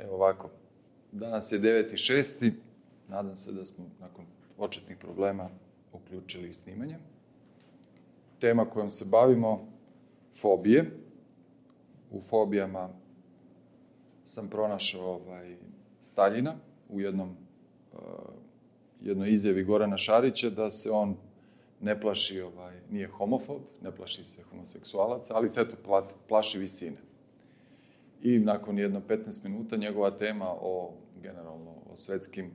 Evo ovako, danas je 9.6. Nadam se da smo nakon početnih problema uključili snimanje. Tema kojom se bavimo, fobije. U fobijama sam pronašao Staljina u jednoj izjavi Gorana Šarića da se on ne plaši, nije homofob, ne plaši se homoseksualaca, ali se eto plaši visine. I nakon jedno 15 minuta njegova tema generalno o svetskim,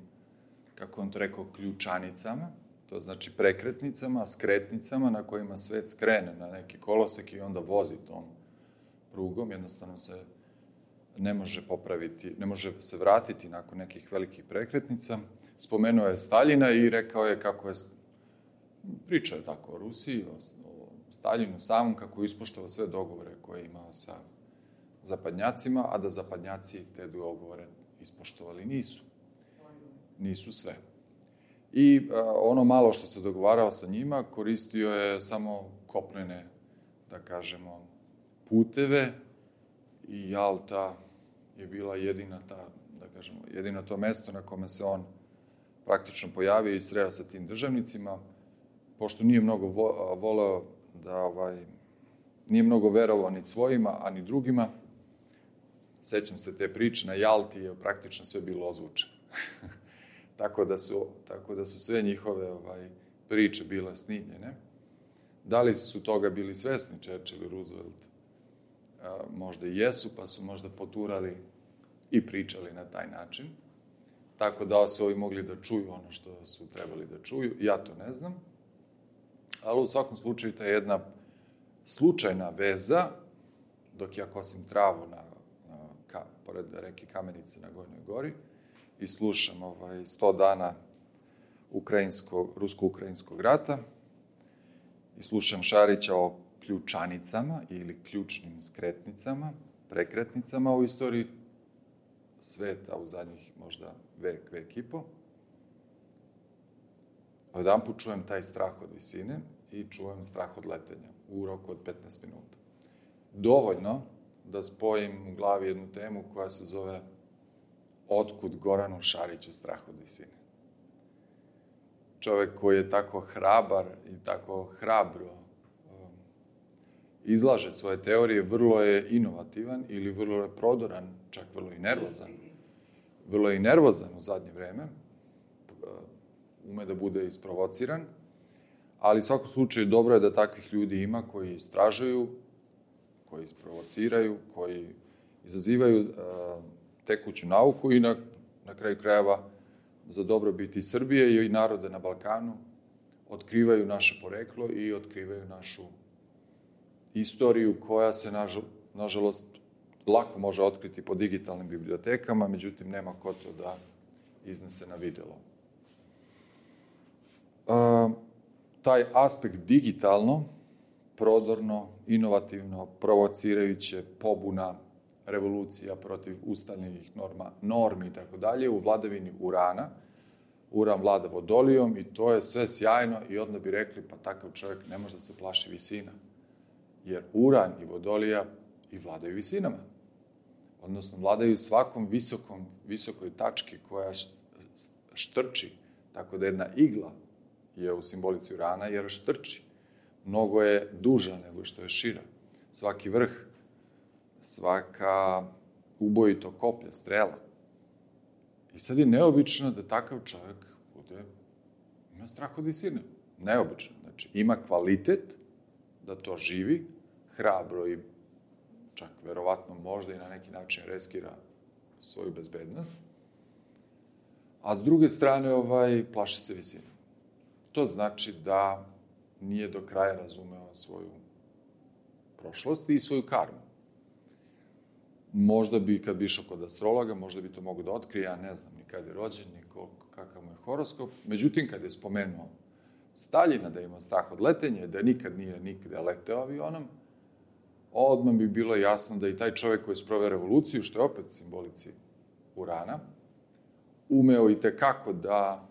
kako on to rekao, ključanicama, to znači prekretnicama, skretnicama na kojima svet skrene na neki kolosek i onda vozi tom prugom, jednostavno se ne može popraviti, ne može se vratiti nakon nekih velikih prekretnica. Spomenuo je Staljina i rekao je kako je, pričao je tako o Rusiji, o Staljinu samom, kako je ispoštovao sve dogovore koje je imao sa zapadnjacima, a da zapadnjaci te dogovore ispoštovali nisu. Nisu sve. I ono malo što se dogovarao sa njima, koristio je samo kopnene, da kažemo, puteve i Jalta je bila jedino to mesto na kome se on praktično pojavio i sreo sa tim državnicima, pošto nije mnogo voleo nije mnogo verovao ni svojima, a ni drugima. Sećam se te priče, na Jalti je praktično sve bilo ozvučeno. Tako da su sve njihove priče bile snimljene. Da li su toga bili svesni Churchill i Roosevelt? Možda i jesu, pa su možda poturali i pričali na taj način. Tako da su ovi mogli da čuju ono što su trebali da čuju. Ja to ne znam. Ali u svakom slučaju to je jedna slučajna veza, dok ja kosim travu pored reke Kamenice na Gornjoj gori i slušam 100 dana rusko-ukrajinskog rata i slušam Šarića o ključanicama ili ključnim skretnicama, prekretnicama u istoriji sveta u zadnjih možda vek i po. Odjedanput čujem taj strah od visine i čujem strah od letenja u roku od 15 minuta. Dovoljno da spojim u glavi jednu temu koja se zove Otkud Goranu Šariću strah od visine. Čovek koji je tako hrabar i tako hrabro izlaže svoje teorije, vrlo je inovativan ili vrlo je prodoran, čak vrlo i nervozan. Vrlo je i nervozan u zadnje vreme, ume da bude isprovociran, ali u svakom slučaju dobro je da takvih ljudi ima koji istražuju, koji isprovociraju, koji izazivaju tekuću nauku i na kraju krajeva za dobrobit i Srbije i narode na Balkanu otkrivaju naše poreklo i otkrivaju našu istoriju koja se, nažalost, lako može otkriti po digitalnim bibliotekama, međutim, nema ko to da iznese na videlo. Taj aspekt digitalno, prodorno, inovativno, provocirajuće, pobuna, revolucija protiv ustaljenih normi i tako dalje, u vladavini Urana. Uran vlada Vodolijom i to je sve sjajno i onda bi rekli, pa takav čovjek ne može da se plaši visina. Jer Uran i Vodolija i vladaju visinama. Odnosno, vladaju svakom visokoj tački koja štrči, tako da jedna igla je u simbolici Urana jer štrči. Mnogo je duža nego što je šira. Svaki vrh, svaka ubojito koplja, strela. I sad je neobično da takav čovjek ima strah od visine. Neobično. Znači, ima kvalitet da to živi, hrabro i čak verovatno možda i na neki način riskira svoju bezbednost. A s druge strane, plaši se visine. To znači da nije do kraja razumeo svoju prošlost i svoju karmu. Možda bi, kad bi išao kod astrologa, možda bi to mogo da otkrije, ja ne znam ni kad je rođen, ni kakav mu je horoskop. Međutim, kad je spomenuo Staljina da ima strah od letenja, da nikad nije nigde leteo avionom, odmah bi bilo jasno da i taj čovjek koji je sproveo revoluciju, što je opet simbolici Urana, umeo i tekako da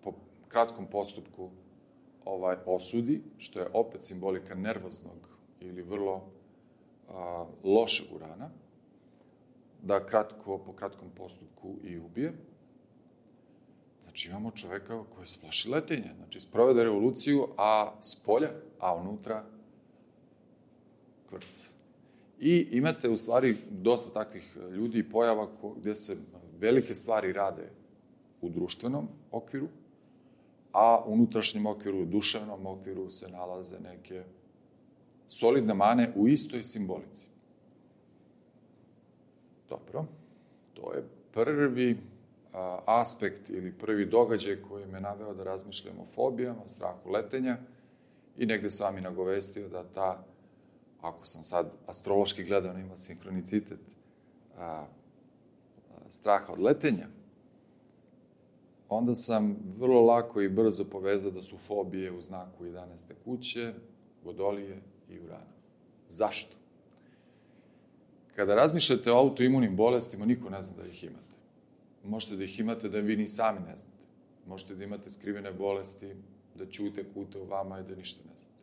po kratkom postupku osudi, što je opet simbolika nervoznog ili vrlo lošeg Urana, da po kratkom postupku i ubije. Znači, imamo čoveka koji se plaši letenja. Znači, sprovede revoluciju, a s polja, a unutra kvrc. I imate, u stvari, dosta takvih ljudi i pojava gde se velike stvari rade u društvenom okviru, a u unutrašnjem okviru, u duševnom okviru se nalaze neke solidne mane u istoj simbolici. Dobro, to je prvi aspekt ili prvi događaj koji me naveo da razmišljam o fobijama, o strahu letenja i negde sam vam i nagovestio da ta, ako sam sad astrološki gledano ima sinkronicitet straha od letenja, onda sam vrlo lako i brzo povezao da su fobije u znaku 11. kuće, Vodolije i Urana. Zašto? Kada razmišljate o autoimunim bolestima, niko ne zna da ih imate. Možete da ih imate da vi ni sami ne znate. Možete da imate skrivene bolesti, da ćute, kute u vama i da ništa ne znate.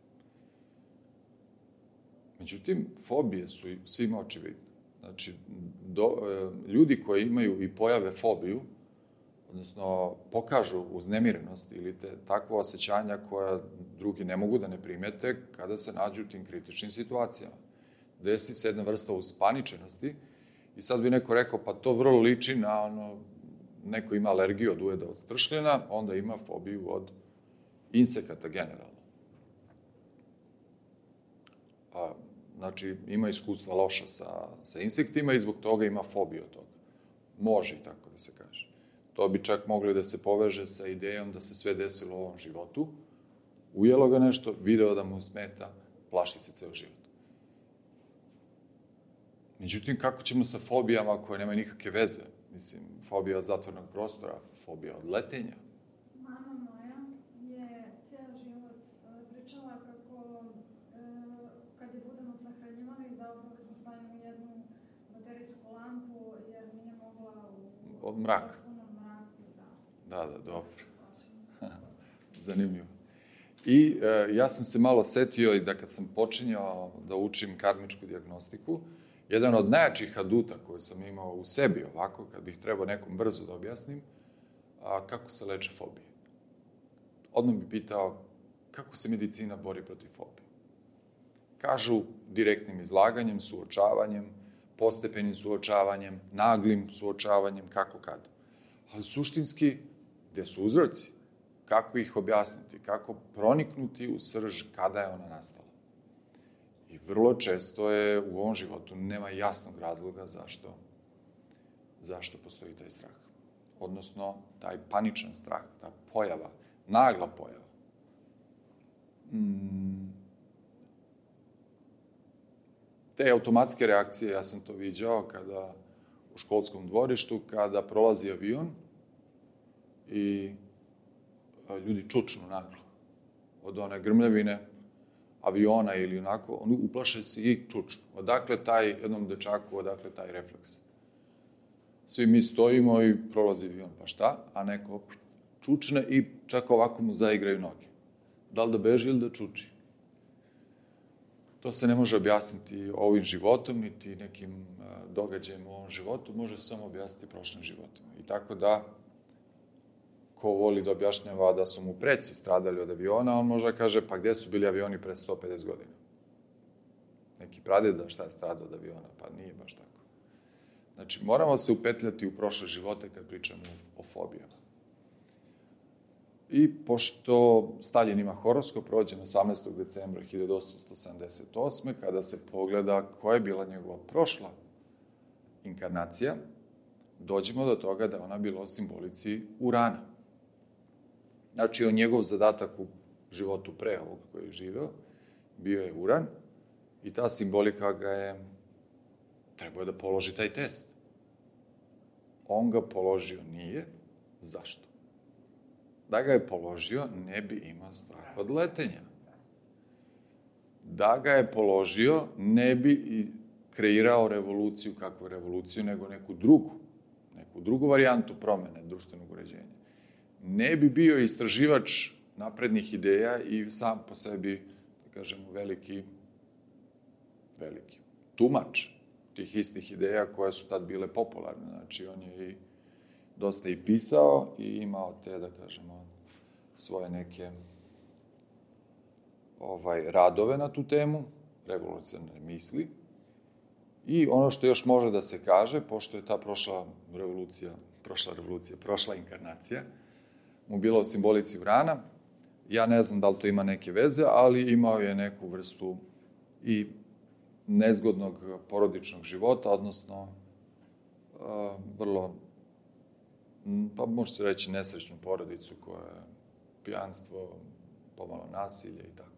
Međutim, fobije su svima očividne. Znači, ljudi koji imaju i pojave fobiju, odnosno pokažu uznemirenost ili takvo osjećanja koja drugi ne mogu da ne primete kada se nađu u tim kritičnim situacijama. Desi se jedna vrsta uspaničenosti i sad bi neko rekao, pa to vrlo liči na neko ima alergiju od ujeda od stršljena, onda ima fobiju od insekata generalno. Znači, ima iskustva loša sa insektima i zbog toga ima fobiju od toga. Može i tako da se kaže. To bi čak mogli da se poveže sa idejom da se sve desilo u ovom životu, ujelo ga nešto, video da mu smeta, plaši se ceo život. Međutim, kako ćemo sa fobijama koje nemaju nikakve veze? Mislim, fobija od zatvornog prostora, fobija od letenja. Mama moja je cijel život pričala kako kad je budemo sahranjivali da obavezno stavimo jednu baterijsku lampu jer nije mogla Od mraka. Da, dobro. Zanimljivo. I ja sam se malo setio i da kad sam počinjao da učim karmičku dijagnostiku, jedan od najjačih aduta koje sam imao u sebi ovako, kad bih trebao nekom brzo da objasnim, kako se leče fobije. Odmah bih pitao kako se medicina bori protiv fobije. Kažu direktnim izlaganjem, suočavanjem, postepenim suočavanjem, naglim suočavanjem, kako kad. Ali suštinski, gde su uzroci? Kako ih objasniti? Kako proniknuti u srž kada je ona nastala? I vrlo često je u ovom životu nema jasnog razloga zašto postoji taj strah. Odnosno, taj paničan strah, ta pojava, nagla pojava. Te automatske reakcije, ja sam to viđao kada u školskom dvorištu, kada prolazi avion i ljudi čučnu naglo od one grmljavine aviona ili onako, oni uplaše se i čučnu. Odakle jednom dečaku, odakle taj refleks? Svi mi stojimo i prolazi avion, pa šta? A neko čučne i čak ovako mu zaigraju noge. Da li da beži ili da čuči? To se ne može objasniti ovim životom, niti nekim događajem u ovom životu, može se samo objasniti prošlim životima. I tako da, ko voli da objašnjava da su mu preci stradali od aviona, on može da kaže, pa gde su bili avioni pre 150 godina? Neki pradeda šta je stradao od aviona, pa nije baš tako. Znači, moramo se upetljati u prošle živote kad pričamo o fobijama. I pošto Stalin ima horoskop, rođen 18. decembra 1878. kada se pogleda koja je bila njegova prošla inkarnacija, dođemo do toga da je ona bila u simbolici Urana. Znači, on njegov zadatak u životu pre ovog koji je živeo, bio je Uran i ta simbolika ga je, trebao da položi taj test. On ga položio nije. Zašto? Da ga je položio, ne bi imao strah od letenja. Da ga je položio, ne bi kreirao revoluciju, kakvu revoluciju, nego neku drugu varijantu promene društvenog uređenja. Ne bi bio istraživač naprednih ideja i sam po sebi, da kažemo, veliki tumač tih istih ideja koje su tad bile popularne. Znači, on je dosta i pisao i imao te, da kažemo, svoje neke radove na tu temu, revolucionarne misli. I ono što još može da se kaže, pošto je ta prošla inkarnacija, mu bila u simbolici Urana, ja ne znam da li to ima neke veze, ali imao je neku vrstu i nezgodnog porodičnog života, odnosno vrlo, pa može se reći, nesrećnu porodicu koja je pijanstvo, pomalo nasilje i tako.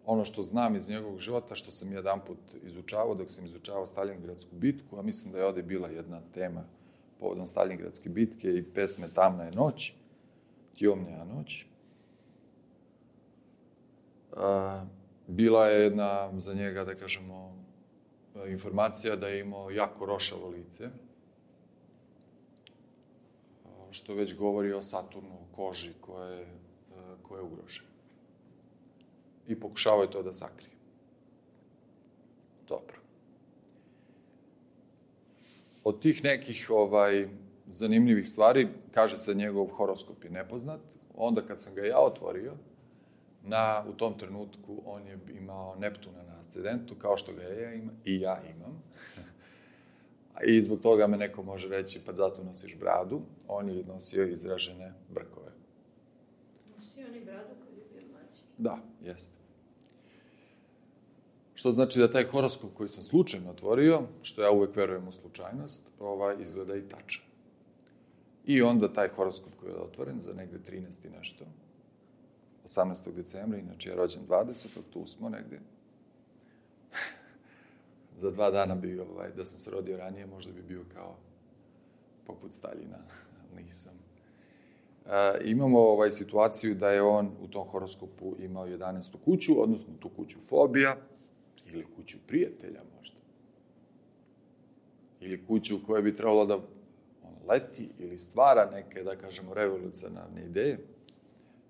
Ono što znam iz njegovog života, što sam jedan put izučavao, dok sam izučavao Stalingradsku bitku, a mislim da je ovde bila jedna tema povodom Stalingradske bitke i pesme Tamna je noć, Tjomnja noć. Bila je jedna za njega, da kažemo, informacija da je imao jako rošavo lice, što već govori o Saturnu, o koži koja je ugrožena. I pokušavao je to da sakrije. Dobro. Od tih nekih zanimljivih stvari, kaže se njegov horoskop je nepoznat. Onda kad sam ga ja otvorio, u tom trenutku on je imao Neptuna na ascendentu, kao što ga ja imam. I zbog toga me neko može reći, pa zato nosiš bradu. On je nosio izražene brkove. Nosio on i bradu kad je bio mlađi? Da, jeste. Što znači da taj horoskop koji sam slučajno otvorio, što ja uvek verujem u slučajnost, izgleda i tačan. I onda taj horoskop koji je otvoren za negde 13. i nešto, 18. decembra, inače je rođen 20. tu smo negde. Za 2 dana bi, da sam se rodio ranije, možda bi bio kao poput Staljina, ali nisam. Imamo situaciju da je on u tom horoskopu imao 11. kuću, odnosno tu kuću fobija, ili kuću prijatelja možda. Ili kuću u kojoj bi trebalo da leti ili stvara neke, da kažemo, revolucionarne ideje.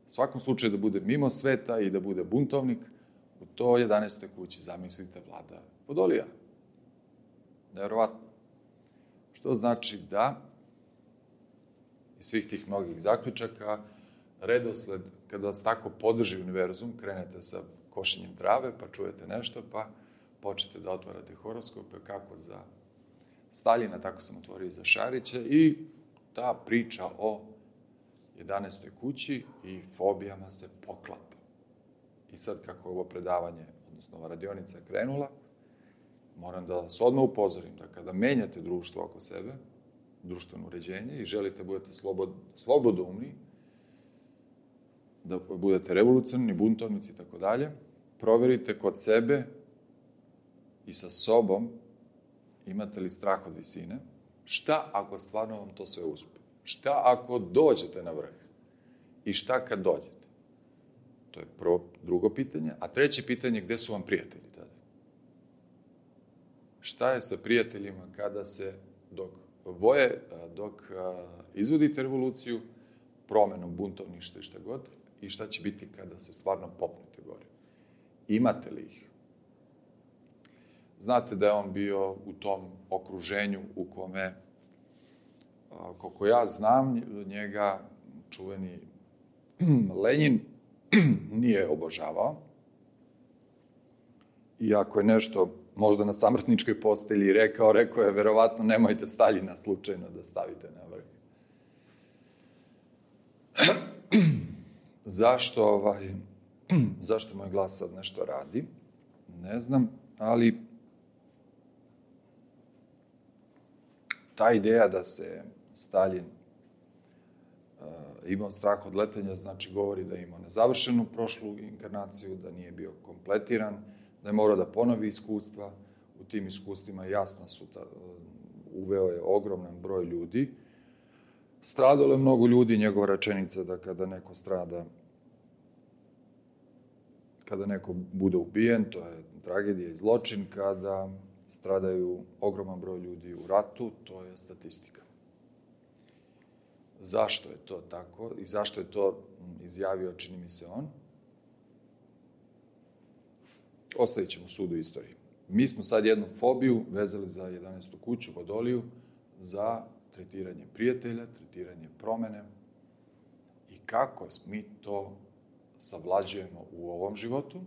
U svakom slučaju da bude mimo sveta i da bude buntovnik, u toj 11. kući, zamislite, vlada Vodolija. Nevjerovatno. Što znači da iz svih tih mnogih zaključaka, redosled, kada vas tako podrži univerzum, krenete sa košenjem trave, pa čujete nešto, pa počnete da otvarate horoskope, kako za Staljina, tako sam otvorio i za Šarića, i ta priča o 11. kući i fobijama se poklapa. I sad, kako je ovo predavanje, odnosno ova radionica krenula, moram da vas odmah upozorim da kada menjate društvo oko sebe, društveno uređenje, i želite budete slobodoumni, da budete revolucionarni, buntovnici i tako dalje, proverite kod sebe i sa sobom imate li strah od visine. Šta ako stvarno vam to sve uspe? Šta ako dođete na vrh? I šta kad dođete? To je drugo pitanje. A treće pitanje, gde su vam prijatelji tada? Šta je sa prijateljima kada se, dok izvodite revoluciju, promenom buntovništva i šta god, i šta će biti kada se stvarno popnete gore? Imate li ih? Znate da je on bio u tom okruženju u kome, koliko ja znam, njega čuveni Lenjin nije obožavao. I ako je nešto možda na samrtničkoj postelji rekao je verovatno nemojte Staljina slučajno da stavite na vrh. Zašto moj glas sad nešto radi? Ne znam, ali ta ideja da se Staljin imao strah od letenja, znači govori da je imao nezavršenu prošlu inkarnaciju, da nije bio kompletiran, da je morao da ponovi iskustva. U tim iskustvima jasno su uveo je ogroman broj ljudi. Stradalo je mnogo ljudi, njegova rečenica da kada neko strada, kada neko bude ubijen, to je tragedija i zločin, kada stradaju ogroman broj ljudi u ratu, to je statistika. Zašto je to tako i zašto je to izjavio, čini mi se, on? Ostavit ćemo sudu istoriji. mi smo sad jednu fobiju vezali za 11. kuću, Vodoliju, za tretiranje prijatelja, tretiranje promene i kako mi to savlađujemo u ovom životu,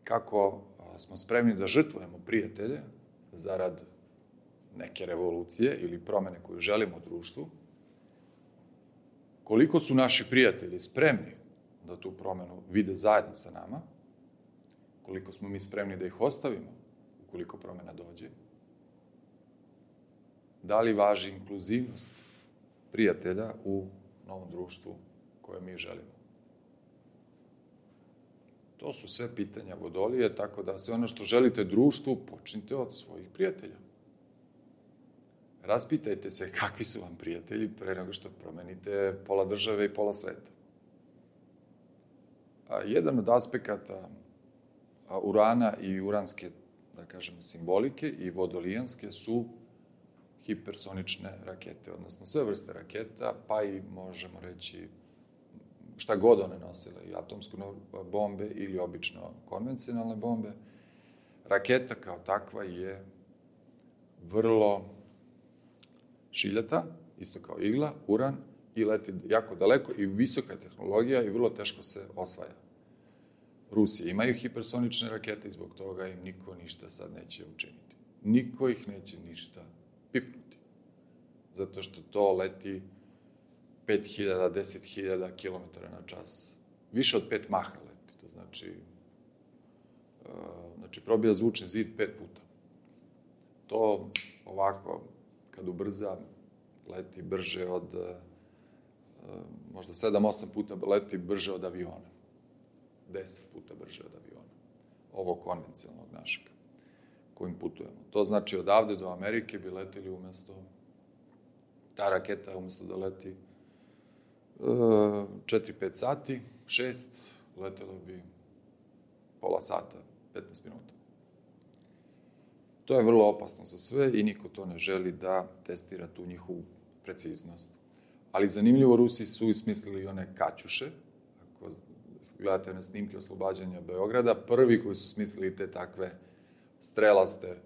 kako smo spremni da žrtvujemo prijatelje zarad neke revolucije ili promene koju želimo u društvu, koliko su naši prijatelji spremni da tu promenu vide zajedno sa nama, koliko smo mi spremni da ih ostavimo ukoliko promena dođe, da li važi inkluzivnost prijatelja u novom društvu koje mi želimo. To su sve pitanja Vodolije, tako da sve ono što želite društvu, počnite od svojih prijatelja. Raspitajte se kakvi su vam prijatelji pre nego što promenite pola države i pola sveta. Jedan od aspekata urana i uranske, da kažemo, simbolike i vodolijanske su hipersonične rakete, odnosno sve vrste raketa, pa i možemo reći šta god one nosile, i atomske bombe ili obično konvencionalne bombe. Raketa kao takva je vrlo šiljata, isto kao igla, uran, i leti jako daleko i visoka tehnologija i vrlo teško se osvaja. Rusije imaju hipersonične rakete i zbog toga im niko ništa sad neće učiniti. Niko ih neće ništa pipnuti. Zato što to leti 5000, 10.000 km na čas. Više od 5 maha leti. To znači probija zvučni zid 5 puta. To ovako, kad ubrza, leti brže od, možda 7-8 puta leti brže od aviona. 10 puta brže od aviona. Ovo konvencionalnog našeg, kojim putujemo. To znači odavde do Amerike bi leteli umesto, ta raketa umesto da leti 4-5 sati, 6, letelo bi pola sata, 15 minuta. To je vrlo opasno za sve i niko to ne želi da testira tu njihovu preciznost. Ali zanimljivo, Rusi su ismislili one kaćuše. Ako gledate na snimke oslobađanja Beograda, prvi koji su smislili te takve strelaste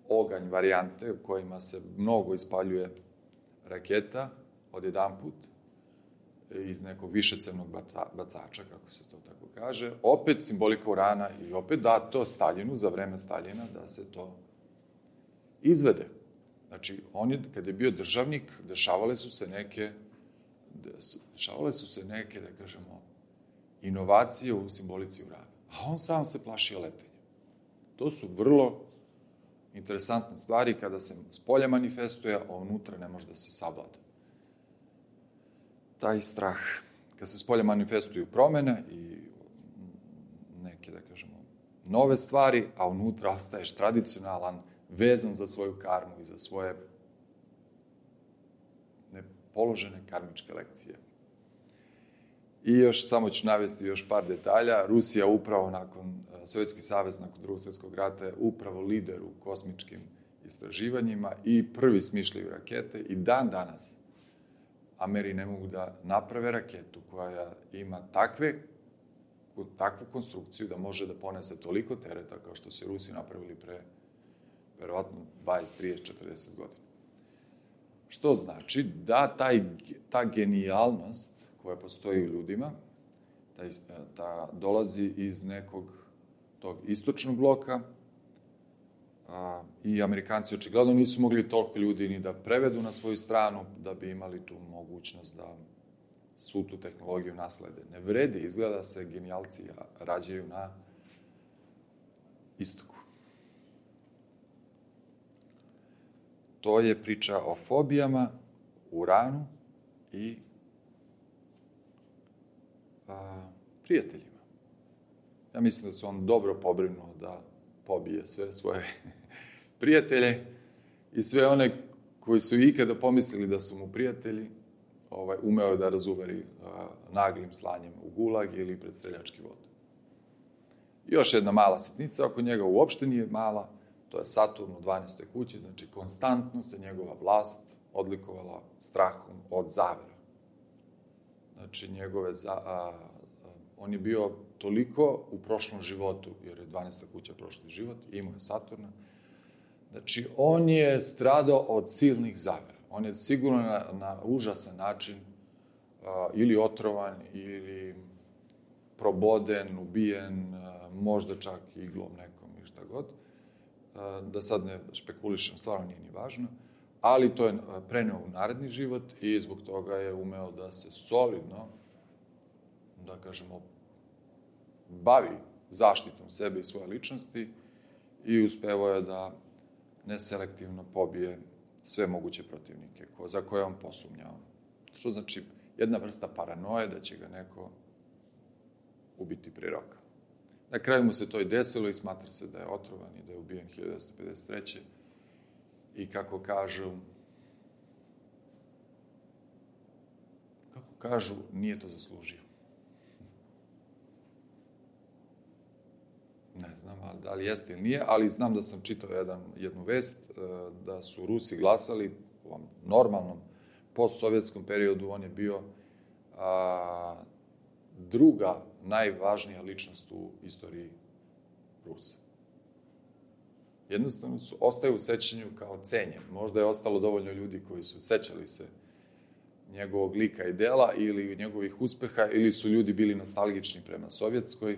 oganj varijante u kojima se mnogo ispaljuje raketa odjedanput iz nekog višecevnog bacača, kako se to tako kaže. Opet simbolika urana i opet dato Staljinu, za vreme Staljina, da se to izvede. Znači, on je, kad je bio državnik, dešavale su se neke, da kažemo, inovacije u simbolici urana. A on sam se plašio letenja. To su vrlo interesantne stvari kada se spolja manifestuje, a unutra ne može da se savlada. Taj strah. Kad se spolja manifestuju promene i neke, da kažemo, nove stvari, a unutra ostaješ tradicionalan, vezan za svoju karmu i za svoje nepoložene karmičke lekcije. I još samo ću navesti još par detalja. Rusija upravo Sovjetski savez nakon Drugog svjetskog rata je upravo lider u kosmičkim istraživanjima i prvi smišljaju rakete i dan danas Ameri ne mogu da naprave raketu koja ima takvu konstrukciju da može da ponese toliko tereta kao što su Rusi napravili pre verovatno 20, 30, 40 godina. Što znači da ta genijalnost koja postoji u ljudima, ta dolazi iz nekog tog istočnog bloka i Amerikanci očigledno nisu mogli toliko ljudi ni da prevedu na svoju stranu da bi imali tu mogućnost da svu tu tehnologiju naslede. Ne vredi, izgleda se genijalci rađaju na istoku. To je priča o fobijama, uranu i prijateljima. Ja mislim da se on dobro pobrinuo da pobije sve svoje prijatelje i sve one koji su ikada pomislili da su mu prijatelji, umeo da razuveri naglim slanjem u gulag ili pred streljački vod. Još jedna mala sitnica, oko njega uopšte nije mala, to je Saturn u 12. kući, znači konstantno se njegova vlast odlikovala strahom od zavera. Znači njegove on je bio toliko u prošlom životu, jer je 12. kuća prošli život, imao je Saturna. Znači, on je stradao od silnih zavera. On je sigurno na užasan način ili otrovan, ili proboden, ubijen, možda čak iglom nekom i šta god. Da sad ne špekulišem, stvarno nije ni važno. Ali to je preneo u naredni život i zbog toga je umeo da se solidno, da kažemo, bavi zaštitom sebe i svoje ličnosti i uspevao je da neselektivno pobije sve moguće protivnike za koje on posumnjao. Što znači jedna vrsta paranoje da će ga neko ubiti pri roka. Na kraju mu se to i desilo i smatra se da je otrovan i da je ubijen 1953. I kako kažu, nije to zaslužio. Ne znam da li jeste ili nije, ali znam da sam čitao jednu vest da su Rusi glasali u ovom normalnom postsovjetskom periodu. On je bio druga najvažnija ličnost u istoriji Rusa. Jednostavno ostaje u sećanju kao cenjen. Možda je ostalo dovoljno ljudi koji su sećali se njegovog lika i dela ili njegovih uspeha, ili su ljudi bili nostalgični prema sovjetskoj,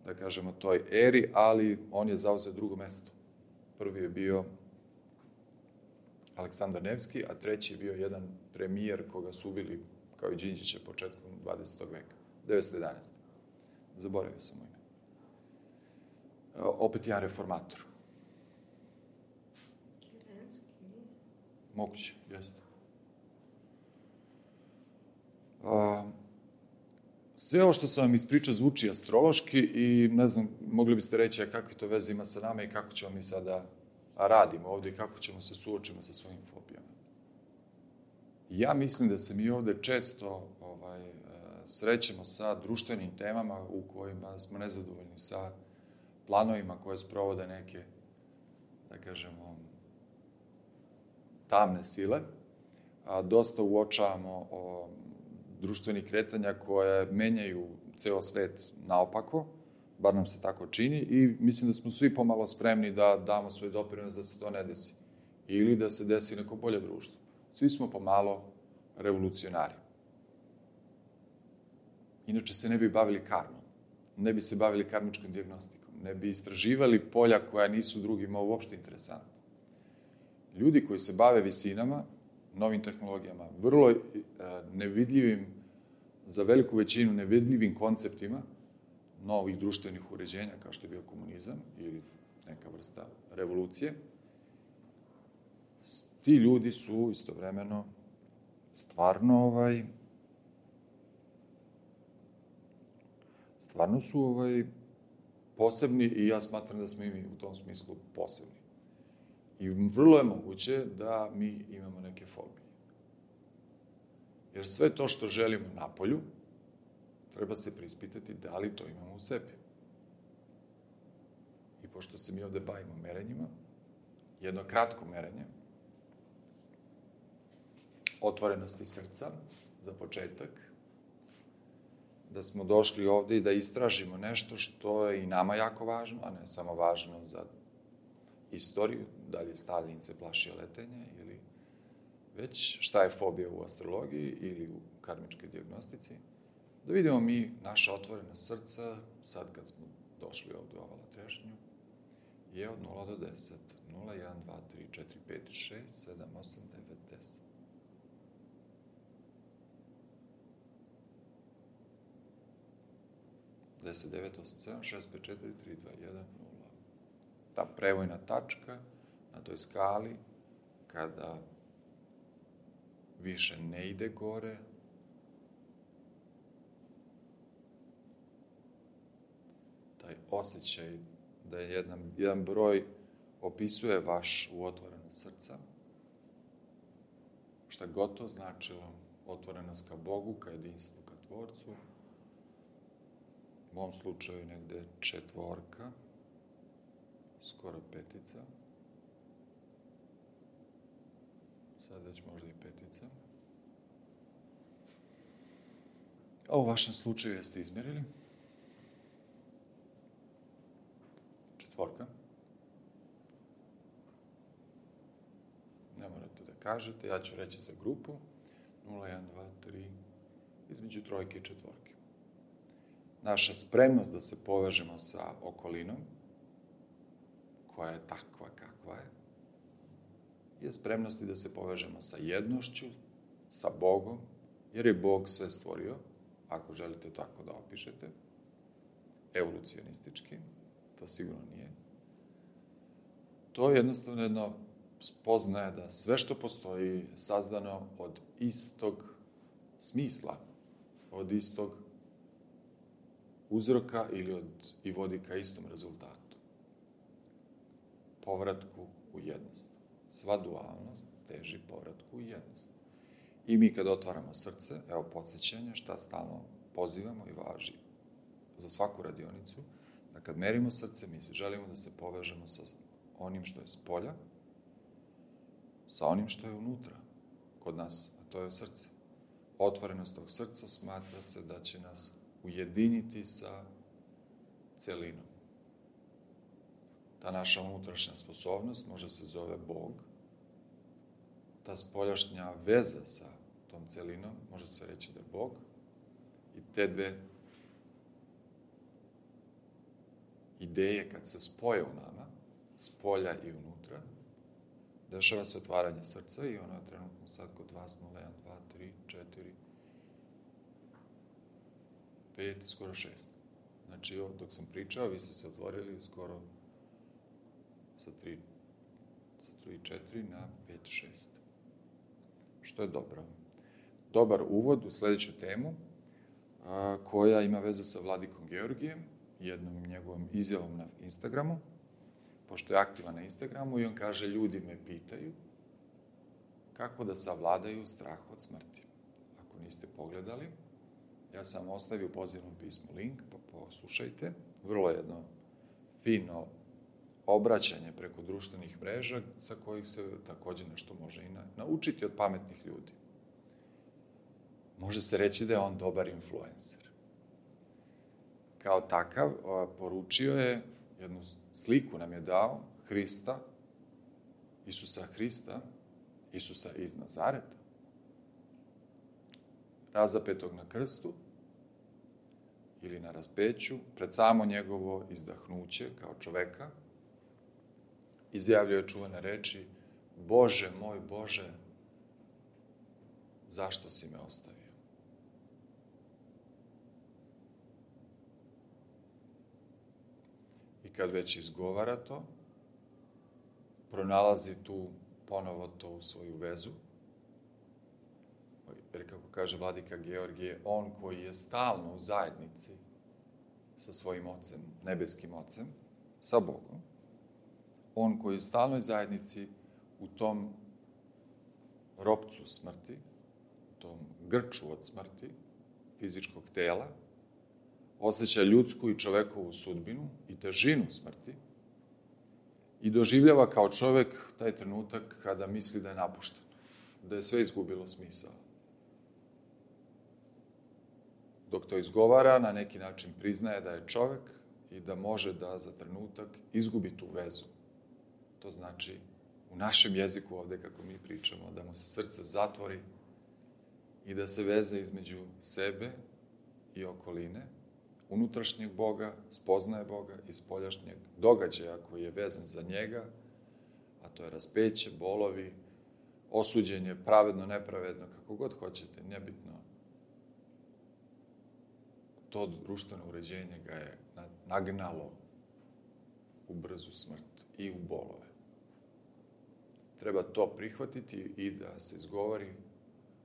da kažemo, toj eri, ali on je zauzeo drugo mesto. Prvi je bio Aleksandar Nevski, a treći je bio jedan premijer koga su ubili, kao i Đinđića, početkom 20. veka, 1911. Zaboravio sam mu ime. Opet jedan reformator. Moguće, jeste. Sve ovo što sam vam ispričao zvuči astrološki i ne znam, mogli biste reći kakve to veze ima sa nama i kako ćemo mi sada radimo ovdje i kako ćemo se suočiti sa svojim fobijama. Ja mislim da se mi ovdje često srećemo sa društvenim temama u kojima smo nezadovoljni sa planovima koje sprovode neke, da kažemo, tamne sile. Dosta uočavamo društvenih kretanja koje menjaju ceo svet naopako, bar nam se tako čini, i mislim da smo svi pomalo spremni da damo svoj doprinos da se to ne desi. Ili da se desi neko bolje društvo. Svi smo pomalo revolucionari. Inače se ne bi bavili karmom, ne bi se bavili karmičkom dijagnostikom, ne bi istraživali polja koja nisu drugima uopšte interesantna. Ljudi koji se bave visinama, novim tehnologijama, vrlo nevidljivim, za veliku većinu nevidljivim konceptima novih društvenih uređenja, kao što je bio komunizam ili neka vrsta revolucije, ti ljudi su istovremeno stvarno su posebni i ja smatram da smo i mi u tom smislu posebni. I vrlo je moguće da mi imamo neke fobije. Jer sve to što želimo napolju, treba se prispitati da li to imamo u sebi. I pošto se mi ovde bavimo merenjima, jedno kratko merenje, otvorenosti srca, za početak, da smo došli ovde i da istražimo nešto što je i nama jako važno, a ne samo važno za istoriju, da li je Staljin se plašio letenja ili već šta je fobija u astrologiji ili u karmičkoj dijagnostici, da vidimo mi naša otvorena srca, sad kad smo došli ovde u ovala trešnju, je od 0 do 10. 0, 1, 2, 3, 4, 5, 6, 7, 8, 9, 10. Deset, 9, 8, 7, 6, 5, 4, 3, 2, 1, 0. Ta prevojna tačka na toj skali, kada više ne ide gore, taj osjećaj da je jedan broj opisuje vaš otvorenost srca, šta god to značilo, otvorenost ka Bogu, ka jedinstvu, ka Tvorcu, u ovom slučaju negde 4, skoro 5, sad već možda i 5. A u vašem slučaju jeste izmjerili? 4. Ne morate da kažete, ja ću reći za grupu. 0, 1, 2, 3, između 3 i 4. Naša spremnost da se povežemo sa okolinom, koja je takva kakva je spremnost i da se povežemo sa jednošću, sa Bogom, jer je Bog sve stvorio, ako želite tako da opišete, evolucionistički, to sigurno nije. To je jednostavno jedno spoznaje da sve što postoji sazdano od istog smisla, od istog uzroka i vodi ka istom rezultatu. Povratku u jednost. Sva dualnost teži povratku u jednost. I mi kad otvaramo srce, evo podsjećanje šta stalno pozivamo i važi za svaku radionicu, da kad merimo srce, mi želimo da se povežemo sa onim što je spolja, sa onim što je unutra, kod nas, a to je srce. Otvorenost tog srca smatra se da će nas ujediniti sa celinom. Ta naša unutrašnja sposobnost može se zove Bog. Ta spoljašnja veza sa tom celinom može se reći da je Bog. I te dve ideje kad se spoje u nama, spolja i unutra, dešava se otvaranje srca i ono je trenutno sad kod vas 0, 1, 2, 3, 4, 5, skoro 6. Znači, dok sam pričao, vi ste se otvorili skoro sa 3 i 4 na 5, 6. Što je dobro. Dobar uvod u sljedeću temu, koja ima veze sa Vladikom Georgijem, jednom njegovom izjavom na Instagramu, pošto je aktivan na Instagramu i on kaže, ljudi me pitaju kako da savladaju strah od smrti. Ako niste pogledali, ja sam ostavio u pozivnom pismu link, pa poslušajte. Vrlo jedno fino obraćanje preko društvenih mreža sa kojih se također nešto može i naučiti od pametnih ljudi. Može se reći da je on dobar influencer. Kao takav, poručio je, jednu sliku nam je dao Hrista, Isusa Hrista, Isusa iz Nazareta, razapetog na krstu ili na raspeću, pred samo njegovo izdahnuće kao čoveka, izjavljuje čuvane reči, Bože moj Bože, zašto si me ostavio? I kad već izgovara to, pronalazi tu ponovo tu svoju vezu, jer kako kaže Vladika Georgije, on koji je stalno u zajednici sa svojim ocem, nebeskim ocem, sa Bogom, on koji je u stalnoj zajednici u tom ropcu smrti, u tom grču od smrti, fizičkog tela, osjeća ljudsku i čovekovu sudbinu i težinu smrti i doživljava kao čovek taj trenutak kada misli da je napušten, da je sve izgubilo smisao. Dok to izgovara, na neki način priznaje da je čovek i da može da za trenutak izgubi tu vezu. To znači, u našem jeziku ovde, kako mi pričamo, da mu se srce zatvori i da se veze između sebe i okoline, unutrašnjeg Boga, spoznaje Boga i spoljašnjeg događaja koji je vezan za njega, a to je raspeće, bolovi, osuđenje, pravedno, nepravedno, kako god hoćete, nebitno. To društveno uređenje ga je nagnalo u brzu smrt i u bolove. Treba to prihvatiti i da se izgovori,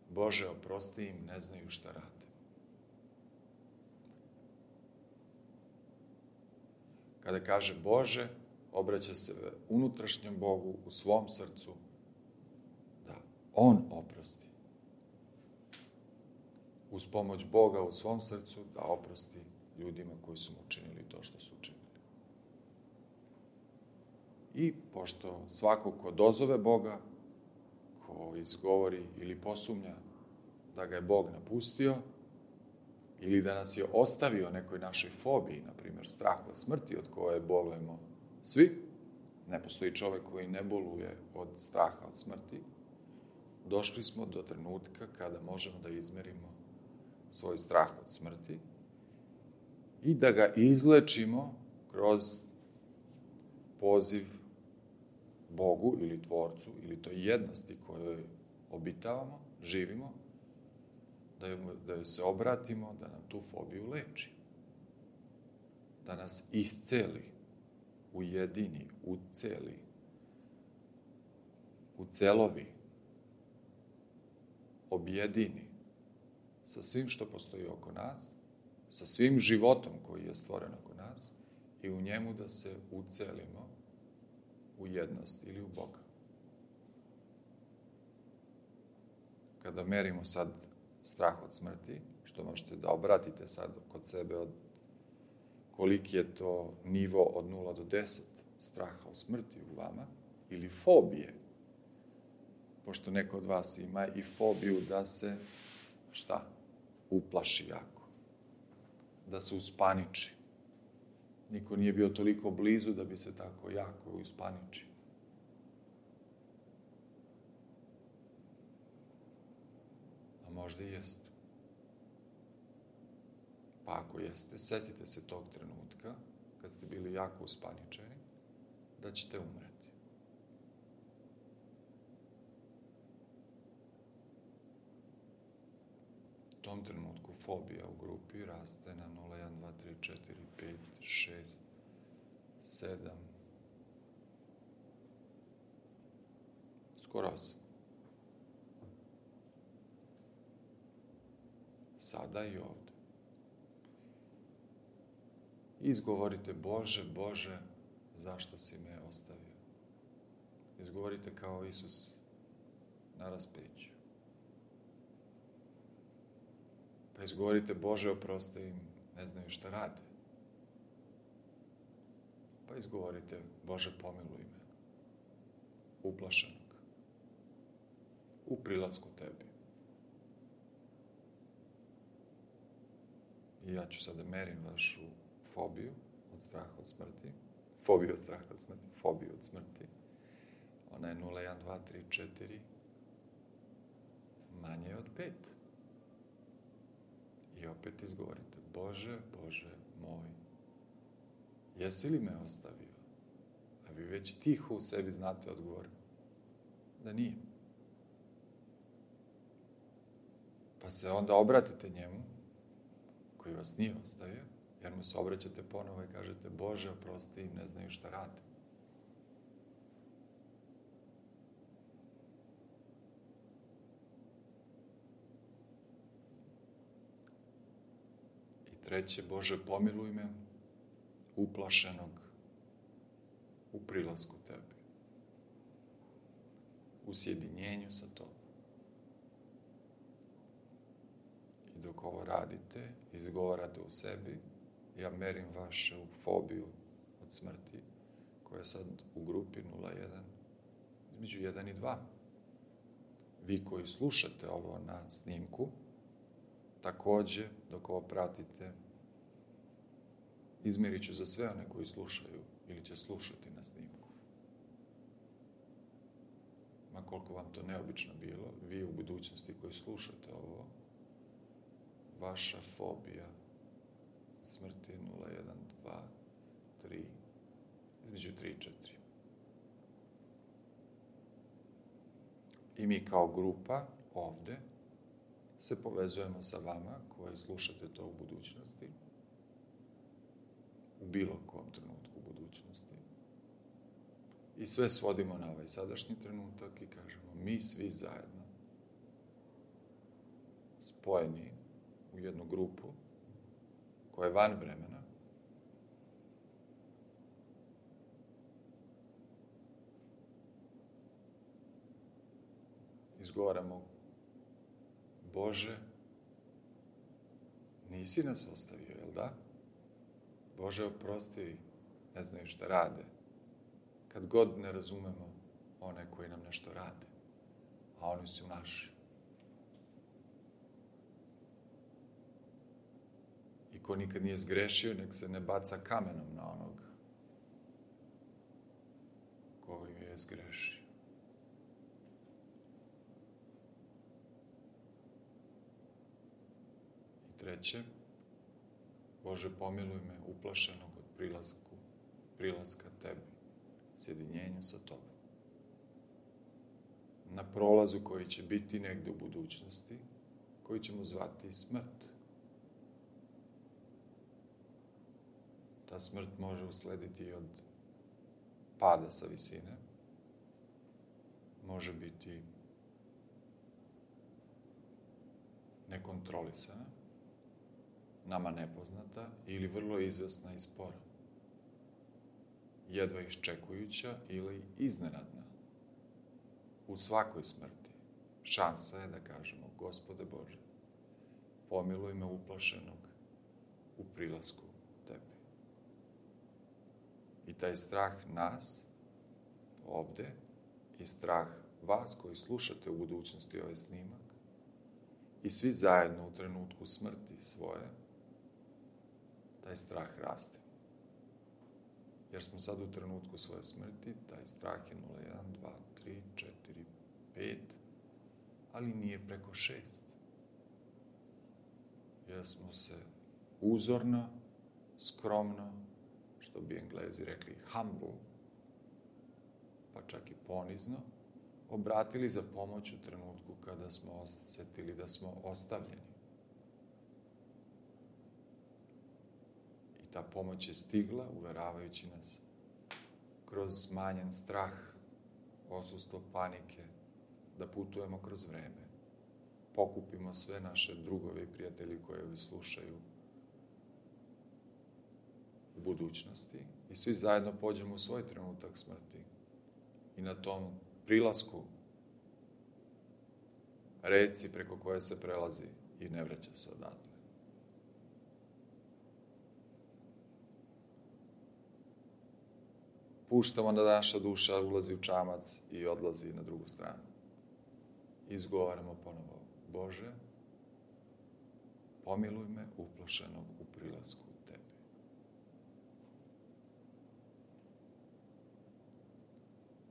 Bože, oprosti im, ne znaju šta rade. Kada kaže Bože, obraća se unutrašnjem Bogu u svom srcu da on oprosti. Uz pomoć Boga u svom srcu da oprosti ljudima koji su mu učinili to što su učinili. I pošto svako ko dozove Boga, ko izgovori ili posumnja da ga je Bog napustio, ili da nas je ostavio nekoj našoj fobiji, na primjer strah od smrti od koje bolujemo svi, ne postoji čovjek koji ne boluje od straha od smrti, došli smo do trenutka kada možemo da izmerimo svoj strah od smrti i da ga izlečimo kroz poziv Bogu ili Tvorcu ili toj jednosti kojoj obitavamo, živimo, da joj se obratimo, da nam tu fobiju leči. Da nas isceli, ujedini, uceli, ucelovi, objedini sa svim što postoji oko nas, sa svim životom koji je stvoren oko nas i u njemu da se ucelimo u jednost ili u Boga. Kada merimo sad strah od smrti, što možete da obratite sad kod sebe od koliki je to nivo od 0 do 10 straha od smrti u vama, ili fobije, pošto neko od vas ima i fobiju da se, šta? Uplaši jako. Da se uspaniči. Niko nije bio toliko blizu da bi se tako jako uspaničio. A možda i jeste. Pa ako jeste, setite se tog trenutka, kad ste bili jako uspaničeni, da ćete umreti. U tom trenutku fobija u grupi raste na 0, 1, 2, 3, 4, 5, 6, 7, skoro 8. Sada i ovdje. Izgovorite: Bože, Bože, zašto si me ostavio? Izgovorite kao Isus na raspeću. Pa izgovorite: Bože, oprosti im, ne znaju šta rade. Pa izgovorite: Bože, pomiluj me, uplašenog, u prilasku tebi. I ja ću sada merim vašu fobiju od straha od smrti. Fobiju od straha od smrti. Fobiju od smrti. Ona je 0, 1, 2, 3, 4. Manje od 5. I opet izgovorite: Bože, Bože moj, jesi li me ostavio? A vi već tiho u sebi znate odgovor da nije. Pa se onda obratite njemu, koji vas nije ostavio, jer mu se obraćate ponovo i kažete: Bože, oprosti im, ne znaju šta rade. I treće: Bože, pomiluj me, uplašenog, u prilasku tebi, u sjedinjenju sa tobom. I dok ovo radite, izgovarate u sebi, ja merim vašu fobiju od smrti, koja je sad u grupi 0,1, između 1 i 2. Vi koji slušate ovo na snimku, također, dok ovo pratite, izmerit ću za sve one koji slušaju ili će slušati na snimku. Ma koliko vam to neobično bilo, vi u budućnosti koji slušate ovo, vaša fobija od smrti je 0, 1, 2, 3, između 3 i 4. I mi kao grupa ovde se povezujemo sa vama koji slušate to u budućnosti, u bilo kom trenutku u budućnosti. I sve svodimo na ovaj sadašnji trenutak i kažemo: mi svi zajedno, spojeni u jednu grupu koja je van vremena, izgovaramo: Bože, nisi nas ostavio, jel da? Bože, oprosti, ne znaju šta rade. Kad god ne razumemo one koji nam nešto rade, a oni su naši. ko nikad nije zgrešio, nek se ne baca kamenom na onog koji je zgrešio. I treće, Bože, pomiluj me uplašenog od prilaska tebi, sjedinjenju sa tobom. Na prolazu koji će biti negde u budućnosti, koji ćemo zvati smrt. Ta smrt može uslediti i od pada sa visine, može biti nekontrolisana, nama nepoznata ili vrlo izvesna i spora, jedva iščekujuća ili iznenadna. U svakoj smrti šansa je da kažemo: Gospode Bože, pomiluj me uplašenog u prilasku tebi. I taj strah nas ovde i strah vas koji slušate u budućnosti ovaj snimak i svi zajedno u trenutku smrti svoje, taj strah raste. Jer smo sad u trenutku svoje smrti, taj strah je 0, 1, 2, 3, 4, 5, ali nije preko 6. Jer smo se uzorno, skromno, što bi Englezi rekli humble, pa čak i ponizno, obratili za pomoć u trenutku kada smo osjetili da smo ostavljeni. I ta pomoć je stigla, uveravajući nas kroz smanjen strah, odsustvo panike, da putujemo kroz vreme, pokupimo sve naše drugove i prijatelji koje slušaju u budućnosti i svi zajedno pođemo u svoj trenutak smrti i na tom prilasku reci preko koje se prelazi i ne vraća se odatle. Puštamo da naša duša ulazi u čamac i odlazi na drugu stranu. Izgovaramo ponovo: Bože, pomiluj me uplašenog u prilasku tebi.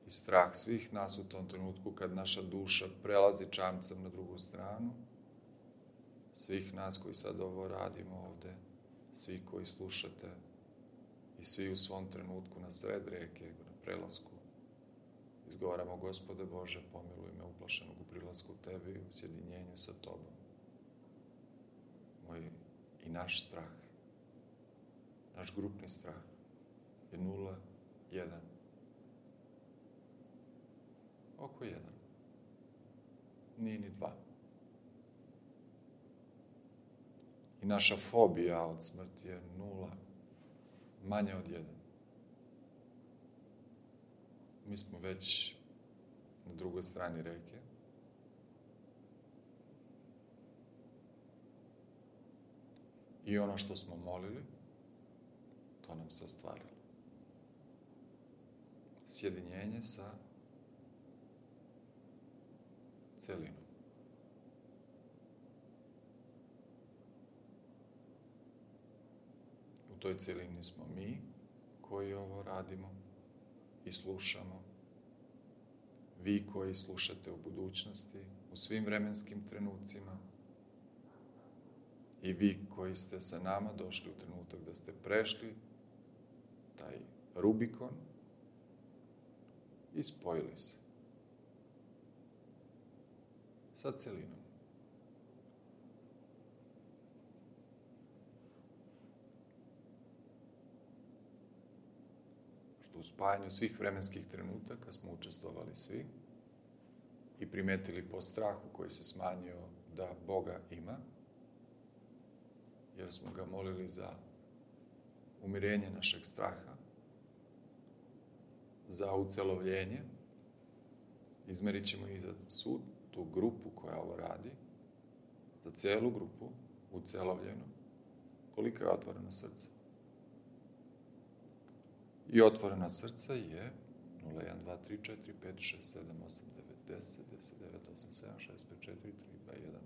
I strah svih nas u tom trenutku kad naša duša prelazi čamcem na drugu stranu, svih nas koji sad ovo radimo ovde, svi koji slušate i svi u svom trenutku na sred reke, na prelasku, izgovaramo: Gospode Bože, pomiluj me uplašenog u prilasku tebi, u sjedinjenju sa tobom. Moj i naš strah, naš grupni strah je 0, 1. Oko 1. Nije ni 2. I naša fobija od smrti je 0, manje od 1. Mi smo već na drugoj strani reke. I ono što smo molili, to nam se ostvarilo. Sjedinjenje sa celinom. U toj celini smo mi koji ovo radimo i slušamo, vi koji slušate u budućnosti, u svim vremenskim trenucima, i vi koji ste sa nama došli u trenutak da ste prešli taj Rubikon i spojili se sa celinom. Što u spajanju svih vremenskih trenutaka smo učestvovali svi i primetili po strahu koji se smanjio da Boga ima, jer smo ga molili za umirenje našeg straha, za ucelovljenje. Izmerit ćemo i za sud, tu grupu koja ovo radi, za celu grupu, ucelovljenu, koliko je otvoreno srce. I otvorena srca je 0, 1, 2, 3, 4, 5, 6, 7, 8, 9, 10, 10, 9, 8, 7, 6, 5, 4, 3, 2, 1, 0.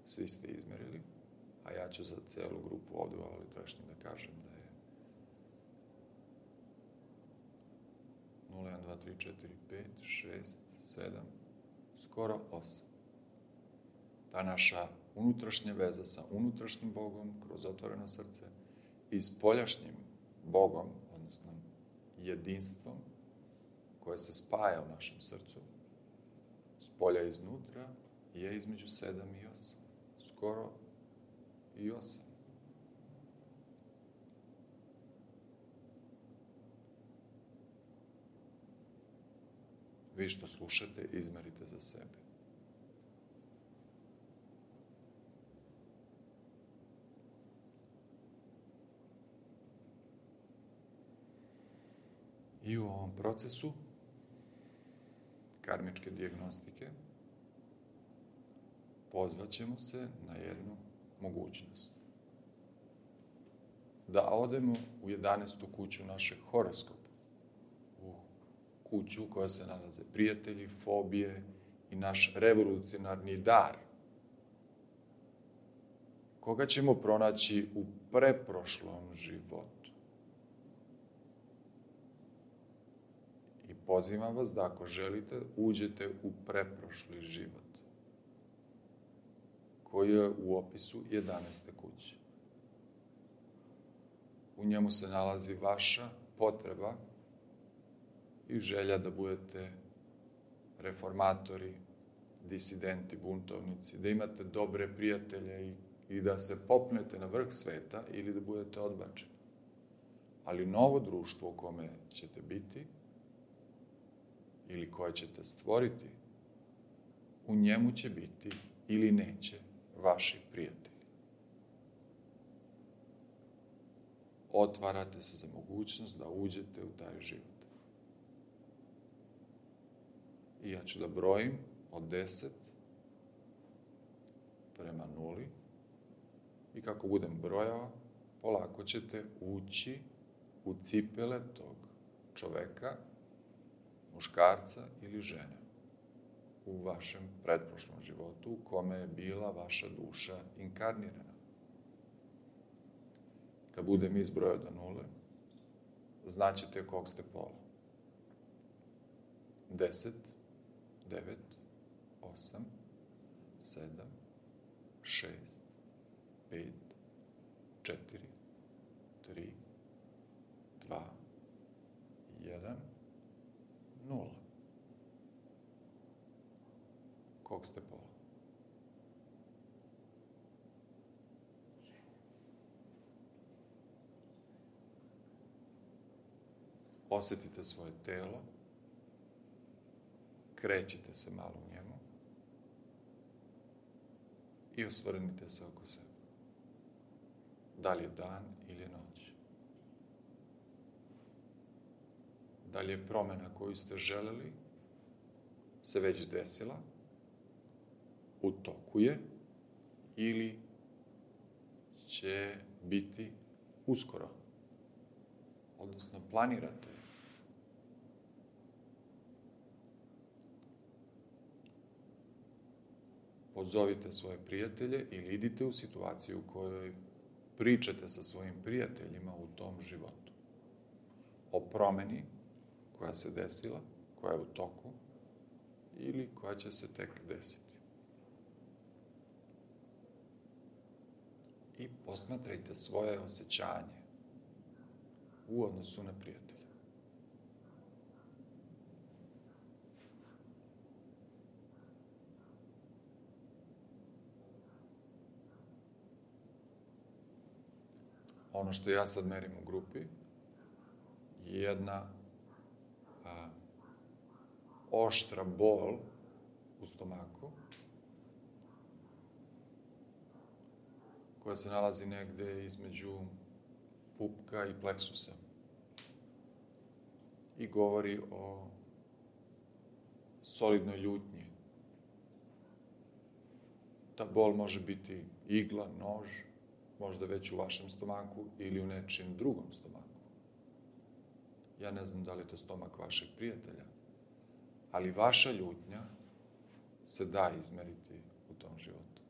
Svi ste izmerili. a ja ću za celu grupu ovdje u Ulitrašnji da kažem da je 0, 1, 2, 3, 4, 5, 6, 7, skoro 8. Ta naša unutrašnja veza sa unutrašnjim Bogom kroz otvoreno srce i s poljašnjim Bogom, odnosno jedinstvom koje se spaja u našem srcu, s polja iznutra, je između 7 i 8. Skoro i 8. Vi što slušate, izmerite za sebe. I u ovom procesu karmičke dijagnostike pozvaćemo se na jednu mogućnost. Da odemo u 11. kuću našeg horoskopa, u kuću koja se nalaze prijatelji, fobije i naš revolucionarni dar, koga ćemo pronaći u preprošlom životu. I pozivam vas da ako želite, uđete u preprošli život, koji je u opisu 11. kuće. U njemu se nalazi vaša potreba i želja da budete reformatori, disidenti, buntovnici, da imate dobre prijatelje i da se popnete na vrh sveta ili da budete odbačeni. Ali novo društvo u kome ćete biti ili koje ćete stvoriti, u njemu će biti ili neće vaši prijatelji. Otvarate se za mogućnost da uđete u taj život. I ja ću da brojim od 10 prema 0 i kako budem brojao, polako ćete ući u cipele tog čoveka, muškarca ili žene u vašem pretprošlom životu u kome je bila vaša duša inkarnirana. Kad budem izbrojao do 0, znaćete kog ste pola. 10, 9, 8, 7, 6, 5, 4, 3, 2, 1, 0. Kog ste pola? Osjetite svoje telo, krećite se malo u njemu i osvrnite se oko sebe. Da li je dan ili je noć? Da li je promjena koju ste želeli se već desila, u toku je ili će biti uskoro? Odnosno planirate. Pozovite svoje prijatelje ili idite u situaciju u kojoj pričate sa svojim prijateljima u tom životu. O promjeni koja se desila, koja je u toku ili koja će se tek desiti. I posmatrajte svoje osjećanje u odnosu na prijatelja. Ono što ja sad merim u grupi je jedna oštra bol u stomaku koja se nalazi negde između pupka i pleksusa i govori o solidnoj ljutnji. Ta bol može biti igla, nož, možda već u vašem stomaku ili u nečijem drugom stomaku. Ja ne znam da li je to stomak vašeg prijatelja, ali vaša ljutnja se da izmeriti u tom životu.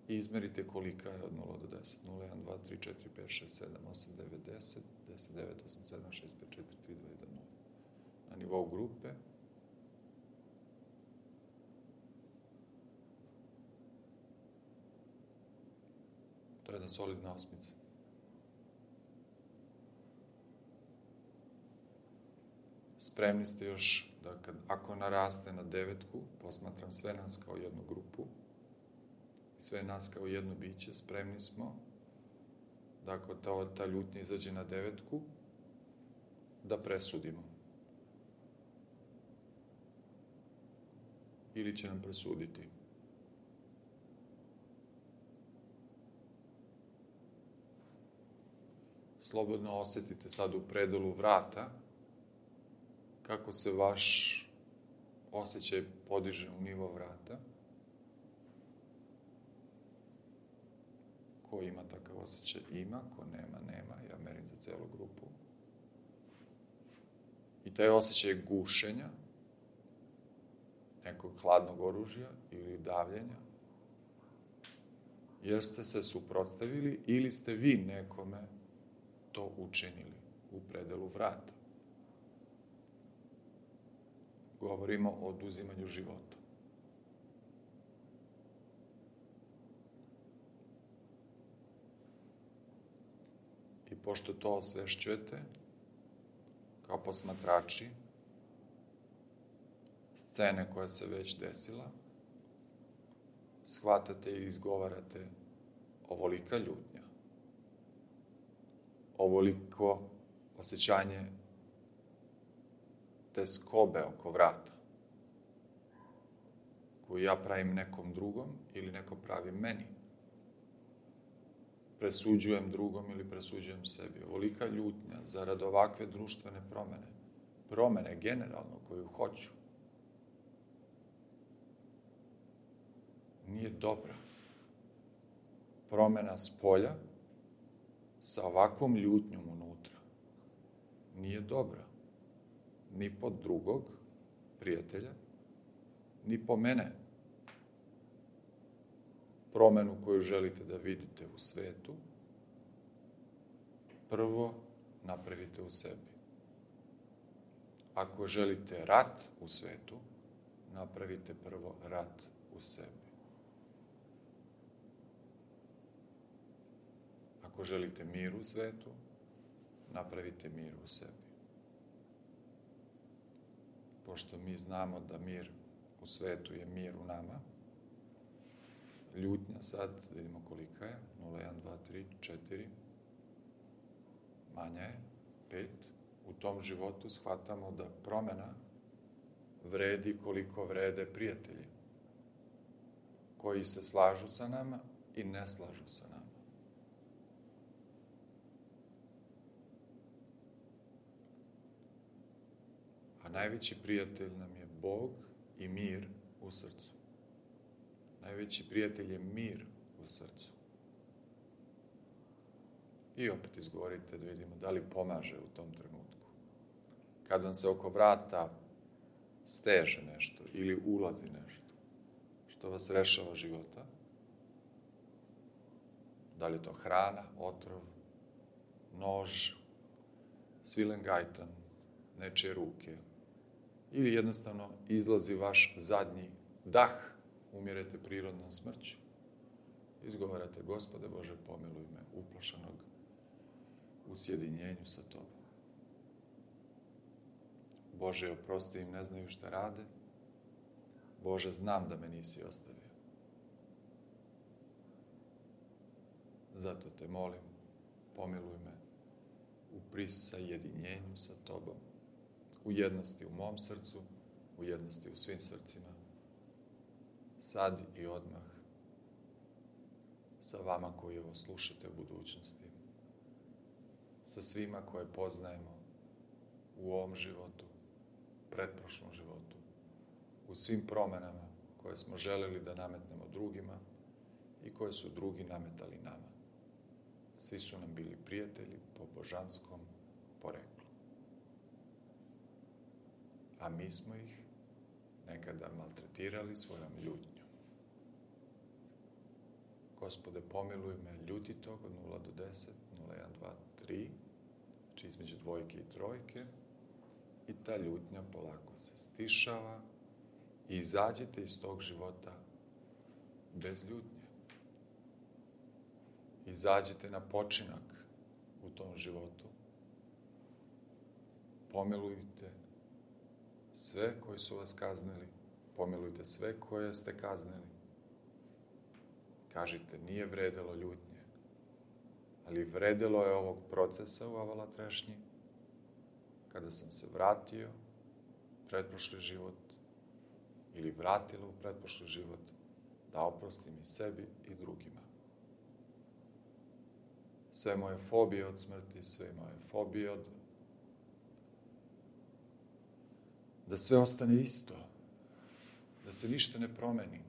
i izmerite kolika je od 0 do 10. 0, 1, 2, 3, 4, 5, 6, 7, 8, 9, 10, 10, 9, 8, 7, 6, 5, 4, 3, 2, 1, 0. Na nivou grupe. To je jedna solidna osmica. Spremni ste još da ako naraste na 9, posmatram sve nas kao jednu grupu i sve nas kao jedno biće, spremni smo da ako ta ljutnja izađe na 9, da presudimo. Ili će nam presuditi. Slobodno osjetite sad u predelu vrata kako se vaš osjećaj podiže u nivo vrata. Ko ima takav osjećaj? Ima. Ko nema? Nema. Ja merim za celu grupu. I taj osjećaj gušenja, nekog hladnog oružja ili davljenja, jer ste se suprotstavili ili ste vi nekome to učinili u predelu vrata. Govorimo o oduzimanju života. I pošto to osvešćujete, kao posmatrači, scene koja se već desila, shvatate i izgovarate ovolika ljutnja, ovoliko osjećanje te skobe oko vrata, koju ja pravim nekom drugom ili neko pravi meni. Presuđujem drugom ili presuđujem sebi. Ovolika ljutnja zarad ovakve društvene promene. Promene generalno koju hoću. Nije dobra. Promena spolja sa ovakvom ljutnjom unutra nije dobra. Ni po drugog prijatelja, ni po mene. Promenu koju želite da vidite u svetu, prvo napravite u sebi. Ako želite rat u svetu, napravite prvo rat u sebi. Ako želite mir u svetu, napravite mir u sebi. Pošto mi znamo da mir u svetu je mir u nama, ljutnja sad, vidimo kolika je, 0, 1, 2, 3, 4, manja je, 5. U tom životu shvatamo da promena vredi koliko vrede prijatelji, koji se slažu sa nama i ne slažu sa nama. A najveći prijatelj nam je Bog i mir u srcu. Najveći prijatelj je mir u srcu. I opet izgovorite da vidimo da li pomaže u tom trenutku. Kad vam se oko vrata steže nešto ili ulazi nešto što vas rešava života, da li je to hrana, otrov, nož, svilen gajtan, nečije ruke, ili jednostavno izlazi vaš zadnji dah, umirete prirodnom smrću. Izgovarate, Gospode Bože, pomiluj me, uplašanog u sjedinjenju sa Tobom. Bože, oprosti im, ne znaju šta rade. Bože, znam da me nisi ostavio. Zato te molim, pomiluj me u prisajedinjenju sa Tobom. U jednosti u mom srcu, u jednosti u svim srcima, sad i odmah, sa vama koji ovo slušate u budućnosti, sa svima koje poznajemo u ovom životu, pretprošlom životu, u svim promenama koje smo želeli da nametnemo drugima i koje su drugi nametali nama. Svi su nam bili prijatelji po božanskom poreklu. A mi smo ih nekada maltretirali svojom ljutnjom, Gospode, pomiluj me ljutitog od 0 do 10, 0, 1, 2, 3, znači između dvojke i trojke, i ta ljutnja polako se stišava i izađete iz tog života bez ljutnje. Izađite na počinak u tom životu. Pomilujte sve koji su vas kaznili, pomilujte sve koje ste kaznili. Kažite, nije vredelo ljutnje, ali vredelo je ovog procesa u Avala trešnji, kada sam se vratio u pretprošli život ili vratila u pretprošli život, da oprostim i sebi i drugima. Sve moje fobije od smrti, sve moje fobije od... Da sve ostane isto, da se ništa ne promeni.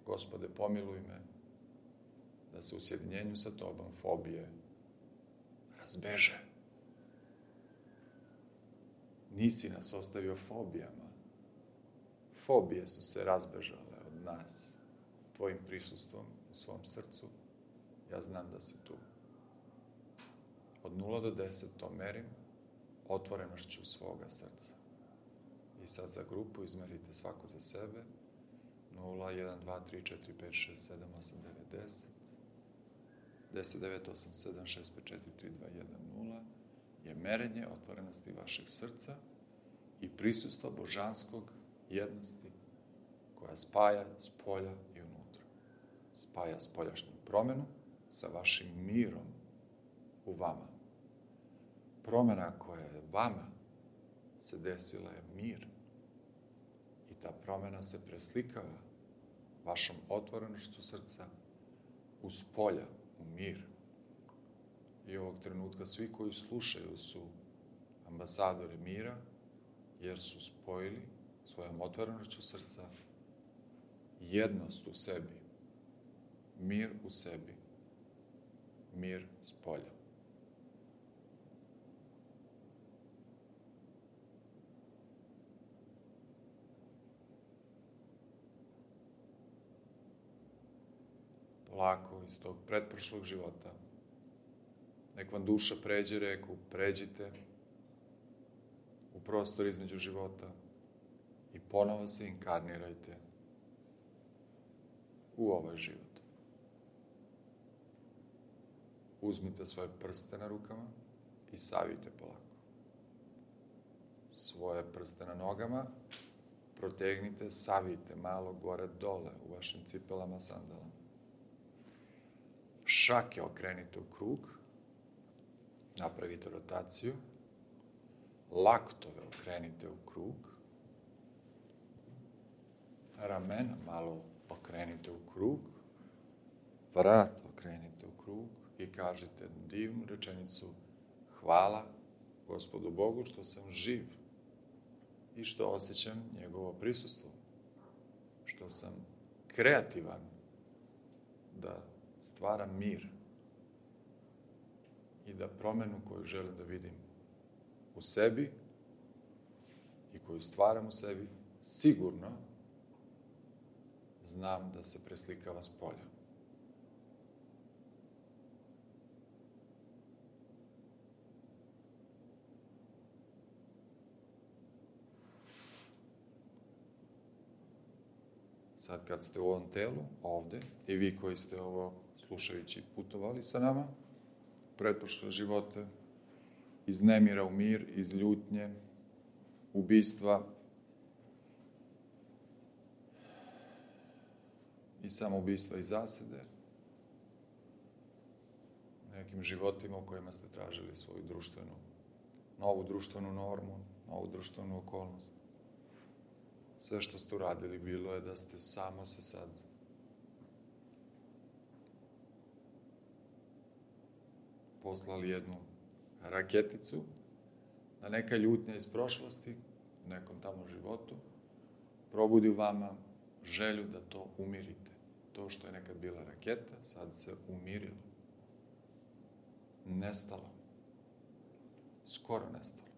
Gospode, pomiluj me, da se u sjedinjenju sa Tobom fobije razbeže. Nisi nas ostavio fobijama. Fobije su se razbežale od nas, Tvojim prisustvom u svom srcu. Ja znam da si tu. Od 0 do 10 to merim otvorenošću svoga srca. I sad za grupu izmerite svako za sebe. 0, 1, 2, 3, 4, 5, 6, 7, 8, 9, 10. 10, 9, 8, 7, 6, 5, 4, 3, 2, 1, 0 je merenje otvorenosti vašeg srca i prisustva božanskog jednosti koja spaja spolja i unutra. Spaja spoljašnju promenu sa vašim mirom u vama. Promena koja je vama se desila je mir. I ta promena se preslikava vašom otvorenošću srca u spolja, u mir. I ovog trenutka svi koji slušaju su ambasadori mira, jer su spojili svojom otvorenošću srca jednost u sebi, mir u sebi, mir spolja. Polako iz tog pretprošlog života. Nek vam duša pređe reku, pređite u prostor između života i ponovo se inkarnirajte u ovaj život. Uzmite svoje prste na rukama i savijte polako. Svoje prste na nogama protegnite, savijte malo gore dole u vašim cipelama, sandalama. Šake okrenite u krug, napravite rotaciju, laktove okrenite u krug, ramena malo okrenite u krug, vrat okrenite u krug i kažite divnu rečenicu: hvala Gospodu Bogu što sam živ i što osjećam njegovo prisustvo, što sam kreativan da stvaram mir i da promenu koju želim da vidim u sebi i koju stvaram u sebi, sigurno znam da se preslikava s polja. Sad kad ste u ovom telu, ovde, i vi koji ste ovo slušajući putovali sa nama, pretprošle živote, iz nemira u mir, iz ljutnje, ubistva i samoubistva i zasede, nekim životima u kojima ste tražili svoju novu društvenu normu, novu društvenu okolnost. Sve što ste uradili bilo je da ste samo se sad poslali jednu raketicu, da neka ljutnja iz prošlosti, u nekom tamo životu, probudi u vama želju da to umirite. To što je nekad bila raketa, sad se umirilo. Nestalo. Skoro nestalo.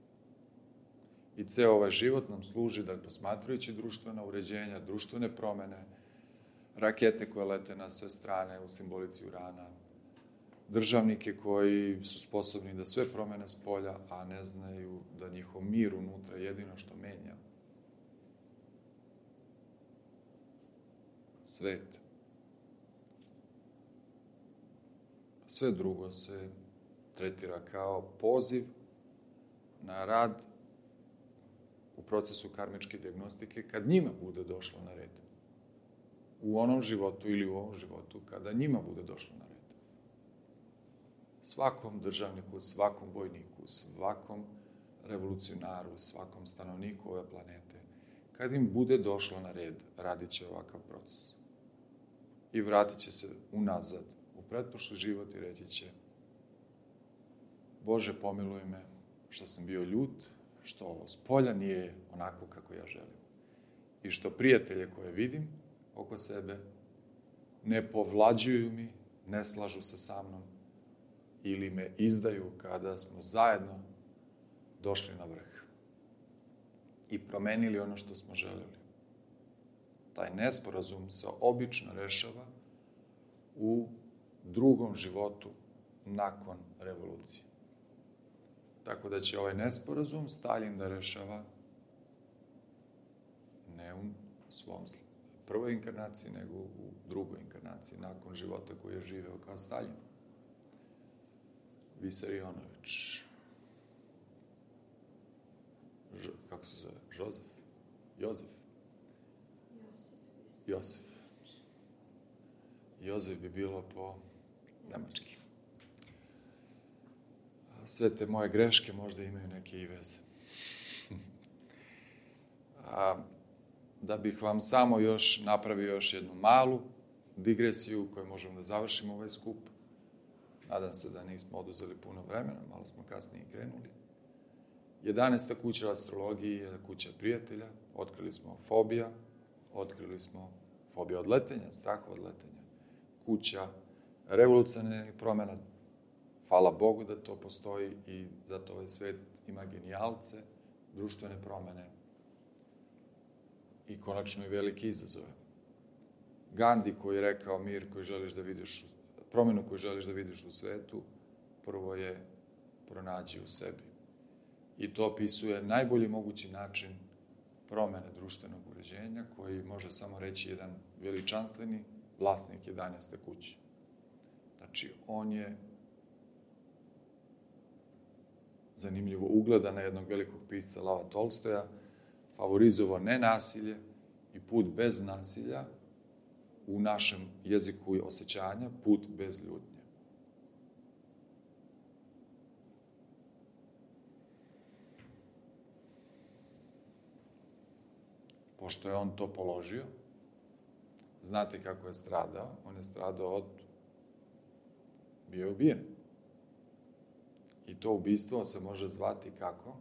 I ceo ovaj život nam služi da posmatrajući društvena uređenja, društvene promene, rakete koje lete na sve strane u simbolici urana, državnike koji su sposobni da sve promene s polja, a ne znaju da njihov mir unutra je jedino što menja svet. Sve drugo se tretira kao poziv na rad u procesu karmičke dijagnostike kad njima bude došlo na red. U onom životu ili u ovom životu kada njima bude došlo na red. Svakom državniku, svakom vojniku, svakom revolucionaru, svakom stanovniku ove planete, kad im bude došlo na red, radit će ovakav proces. I vratit će se unazad u pretprošli život i reći će: Bože, pomiluj me što sam bio ljut, što ovo s polja nije onako kako ja želim. I što prijatelje koje vidim oko sebe ne povlađuju mi, ne slažu se sa mnom ili me izdaju kada smo zajedno došli na vrh i promenili ono što smo želeli. Taj nesporazum se obično rešava u drugom životu nakon revolucije. Tako da će ovaj nesporazum Staljin da rešava ne u svom prvoj inkarnaciji, nego u drugoj inkarnaciji, nakon života koji je živeo kao Staljin. Visarionović. Kako se zove? Jozef? Jozef? Josef. Jozef bi bilo po nemački. Sve te moje greške možda imaju neke i veze. Da bih vam samo još napravio još jednu malu digresiju koju možemo da završimo ovaj skup. Nadam se da nismo oduzeli puno vremena, malo smo kasnije krenuli. 11. kuća astrologiji je kuća prijatelja. Otkrili smo fobija, otkrili smo fobija od letenja, strah od letenja. Kuća revolucionarnih promjena. Hvala Bogu da to postoji i zato ovaj svet ima genijalce, društvene promjene i konačno i velike izazove. Gandhi koji je rekao mir koji želiš da vidiš, promjenu koju želiš da vidiš u svetu, prvo je pronađi u sebi. I to opisuje najbolji mogući način promjene društvenog uređenja koji može samo reći jedan veličanstveni vlasnik 11. kuće. Znači, on je zanimljivo ugleda na jednog velikog pisca Lava Tolstoja, favorizovao nenasilje i put bez nasilja, u našem jeziku i osjećanja, put bez ljutnje. Pošto je on to položio, znate kako je stradao? On je stradao od... bio je ubijen. I to ubistvo se može zvati kako?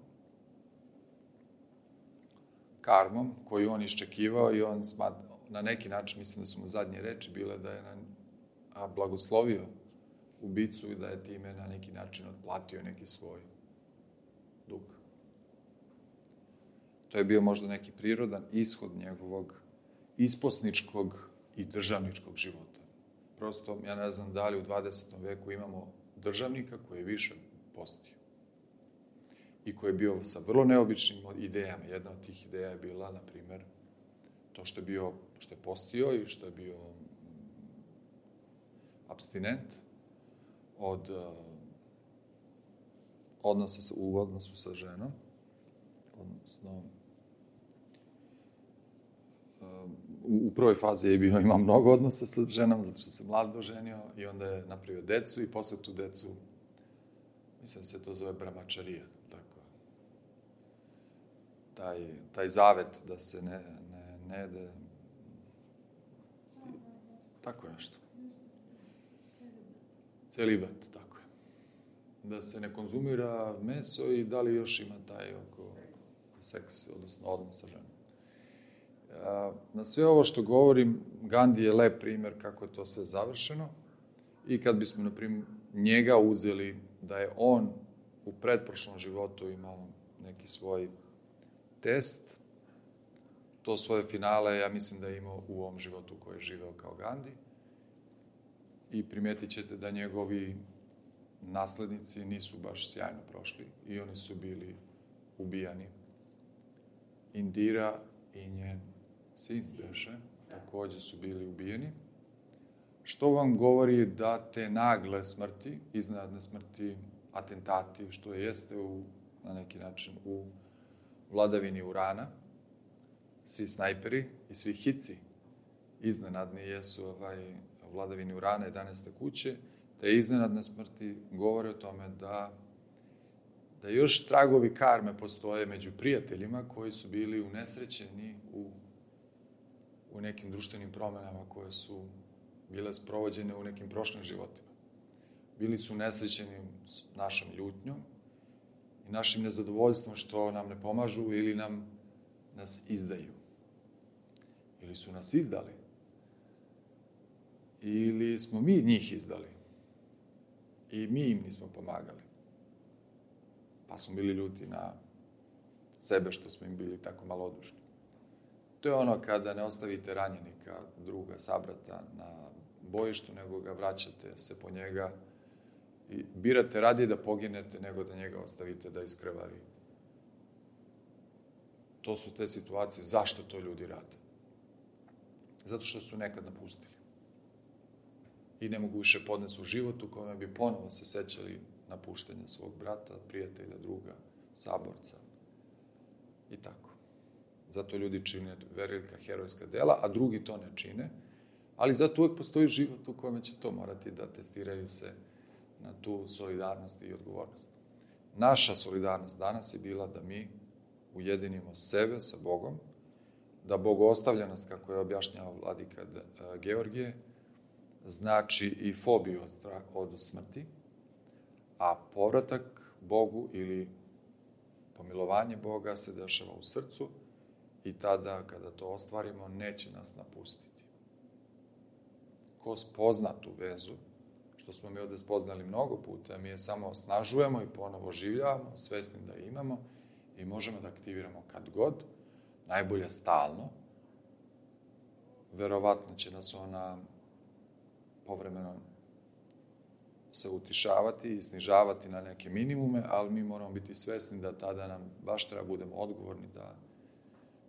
Karmom, koju on iščekivao i on na neki način, mislim da su mu zadnje reči bile da je blagoslovio ubicu i da je time na neki način otplatio neki svoj dug. To je bio možda neki prirodan ishod njegovog isposničkog i državničkog života. Prosto, ja ne znam da li u 20. veku imamo državnika koji je više postio i koji je bio sa vrlo neobičnim idejama. Jedna od tih ideja je bila, na primjer, to što je postio i što je bio apstinent od u odnosu sa ženom, odnosno u prvoj fazi je imao mnogo odnosa sa ženom, zato što se mlad doženio i onda je napravio decu i posle tu decu, mislim da se to zove brahmačarija, tako. Taj zavet da se ne jede, tako nešto. Celibat, tako je. Da se ne konzumira meso i da li još ima taj seks, odnosno odnos sa ženom. Na sve ovo što govorim, Gandhi je lep primjer kako je to sve završeno i kad bismo, na primjer, njega uzeli da je on u pretprošlom životu imao neki svoj test. To svoje finale, ja mislim da je imao u ovom životu koji je živeo kao Gandhi. I primijetit ćete da njegovi naslednici nisu baš sjajno prošli i oni su bili ubijani. Indira i njen sin beše također su bili ubijeni. Što vam govori da te nagle smrti, iznenadne smrti, atentati, što jeste na neki način u vladavini Urana, svi snajperi i svi hici iznenadni jesu vladavini Urana 11. kuće, te iznenadne smrti govore o tome da još tragovi karme postoje među prijateljima koji su bili unesrećeni u nekim društvenim promjenama koje su bile sprovođene u nekim prošlim životima. Bili su unesrećeni s našom ljutnjom i našim nezadovoljstvom što nam ne pomažu ili nas izdaju. Ili su nas izdali. Ili smo mi njih izdali. I mi im nismo pomagali. Pa smo bili ljuti na sebe što smo im bili tako malodušni. To je ono kada ne ostavite ranjenika, druga, sabrata na bojištu, nego ga vraćate se po njega i birate radije da poginete nego da njega ostavite da iskrvari. To su te situacije. Zašto to ljudi rade? Zato što su nekad napustili. I ne mogu više podnesu u život u kojem bi ponovo se sećali napuštenja svog brata, prijatelja, druga, saborca i tako. Zato ljudi čine velika herojska dela, a drugi to ne čine, ali zato uvijek postoji život u kojem će to morati da testiraju se na tu solidarnost i odgovornost. Naša solidarnost danas je bila da mi ujedinimo sebe sa Bogom, da bogoostavljenost, kako je objašnjavao vladika Georgije, znači i fobiju od smrti, a povratak Bogu ili pomilovanje Boga se dešava u srcu i tada, kada to ostvarimo, neće nas napustiti. Ko spozna tu vezu, što smo mi ovdje spoznali mnogo puta, mi je samo osnažujemo i ponovo oživljavamo, svesni da je imamo i možemo da aktiviramo kad god, najbolje stalno. Verovatno će nas ona povremeno se utišavati i snižavati na neke minimume, ali mi moramo biti svesni da tada nam baš treba budemo odgovorni da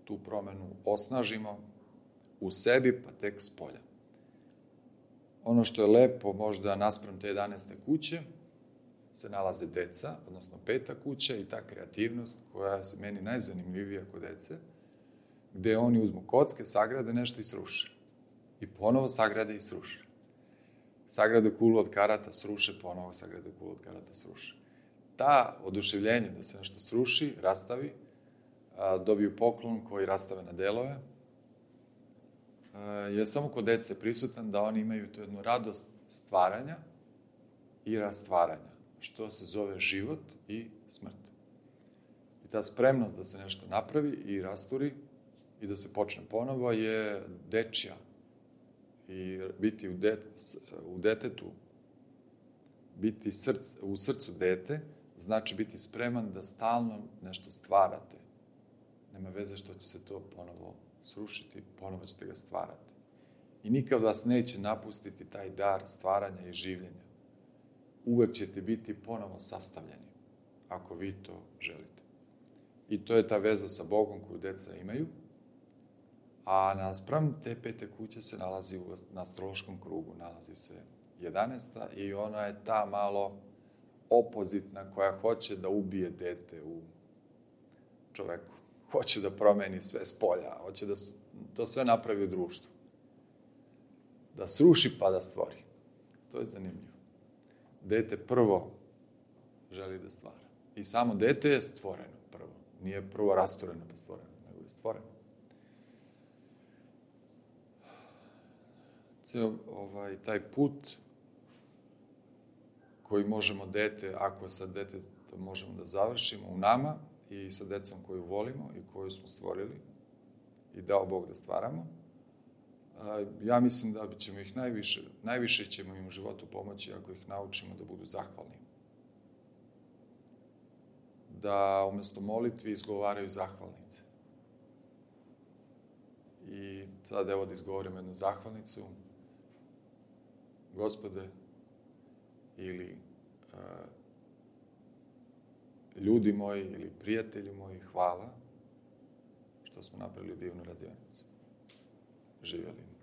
tu promjenu osnažimo u sebi, pa tek s polja. Ono što je lepo, možda naspram te 11. kuće, se nalaze deca, odnosno 5. kuća i ta kreativnost koja je meni najzanimljivija kod dece, gdje oni uzmu kocke, sagrade nešto i sruše. I ponovo sagrade i sruše. Sagrade kulu od karata, sruše, ponovo sagrade kulu od karata, sruše. Ta oduševljenje da se nešto sruši, rastavi, dobiju poklon koji rastave na delove, je samo kod dece prisutan da oni imaju tu jednu radost stvaranja i rastvaranja, što se zove život i smrt. I ta spremnost da se nešto napravi i rasturi i da se počne ponovo je dečja. I biti u detetu, biti u srcu dete, znači biti spreman da stalno nešto stvarate. Nema veze što će se to ponovo srušiti, ponovo ćete ga stvarati. I nikad vas neće napustiti taj dar stvaranja i življenja. Uvek ćete biti ponovo sastavljeni, ako vi to želite. I to je ta veza sa Bogom koju deca imaju, a naspram te 5. kuće se nalazi na astrološkom krugu, nalazi se 11. i ona je ta malo opozitna koja hoće da ubije dete u čoveku. Hoće da promeni sve s polja, hoće da to sve napravi u društvu. Da sruši pa da stvori. To je zanimljivo. Dete prvo želi da stvara. I samo dete je stvoreno prvo. Nije prvo rastureno pa stvoreno, nego je stvoreno. Taj put koji možemo ako sa detetom možemo da završimo u nama i sa decom koju volimo i koju smo stvorili i dao Bog da stvaramo, ja mislim da ćemo ih najviše ćemo im u životu pomoći ako ih naučimo da budu zahvalni. da umjesto molitvi izgovaraju zahvalnice. I sad evo da izgovorim jednu zahvalnicu. Gospode, ili ljudi moji, ili prijatelji moji, hvala što smo napravili divnu radionicu. Živjeli.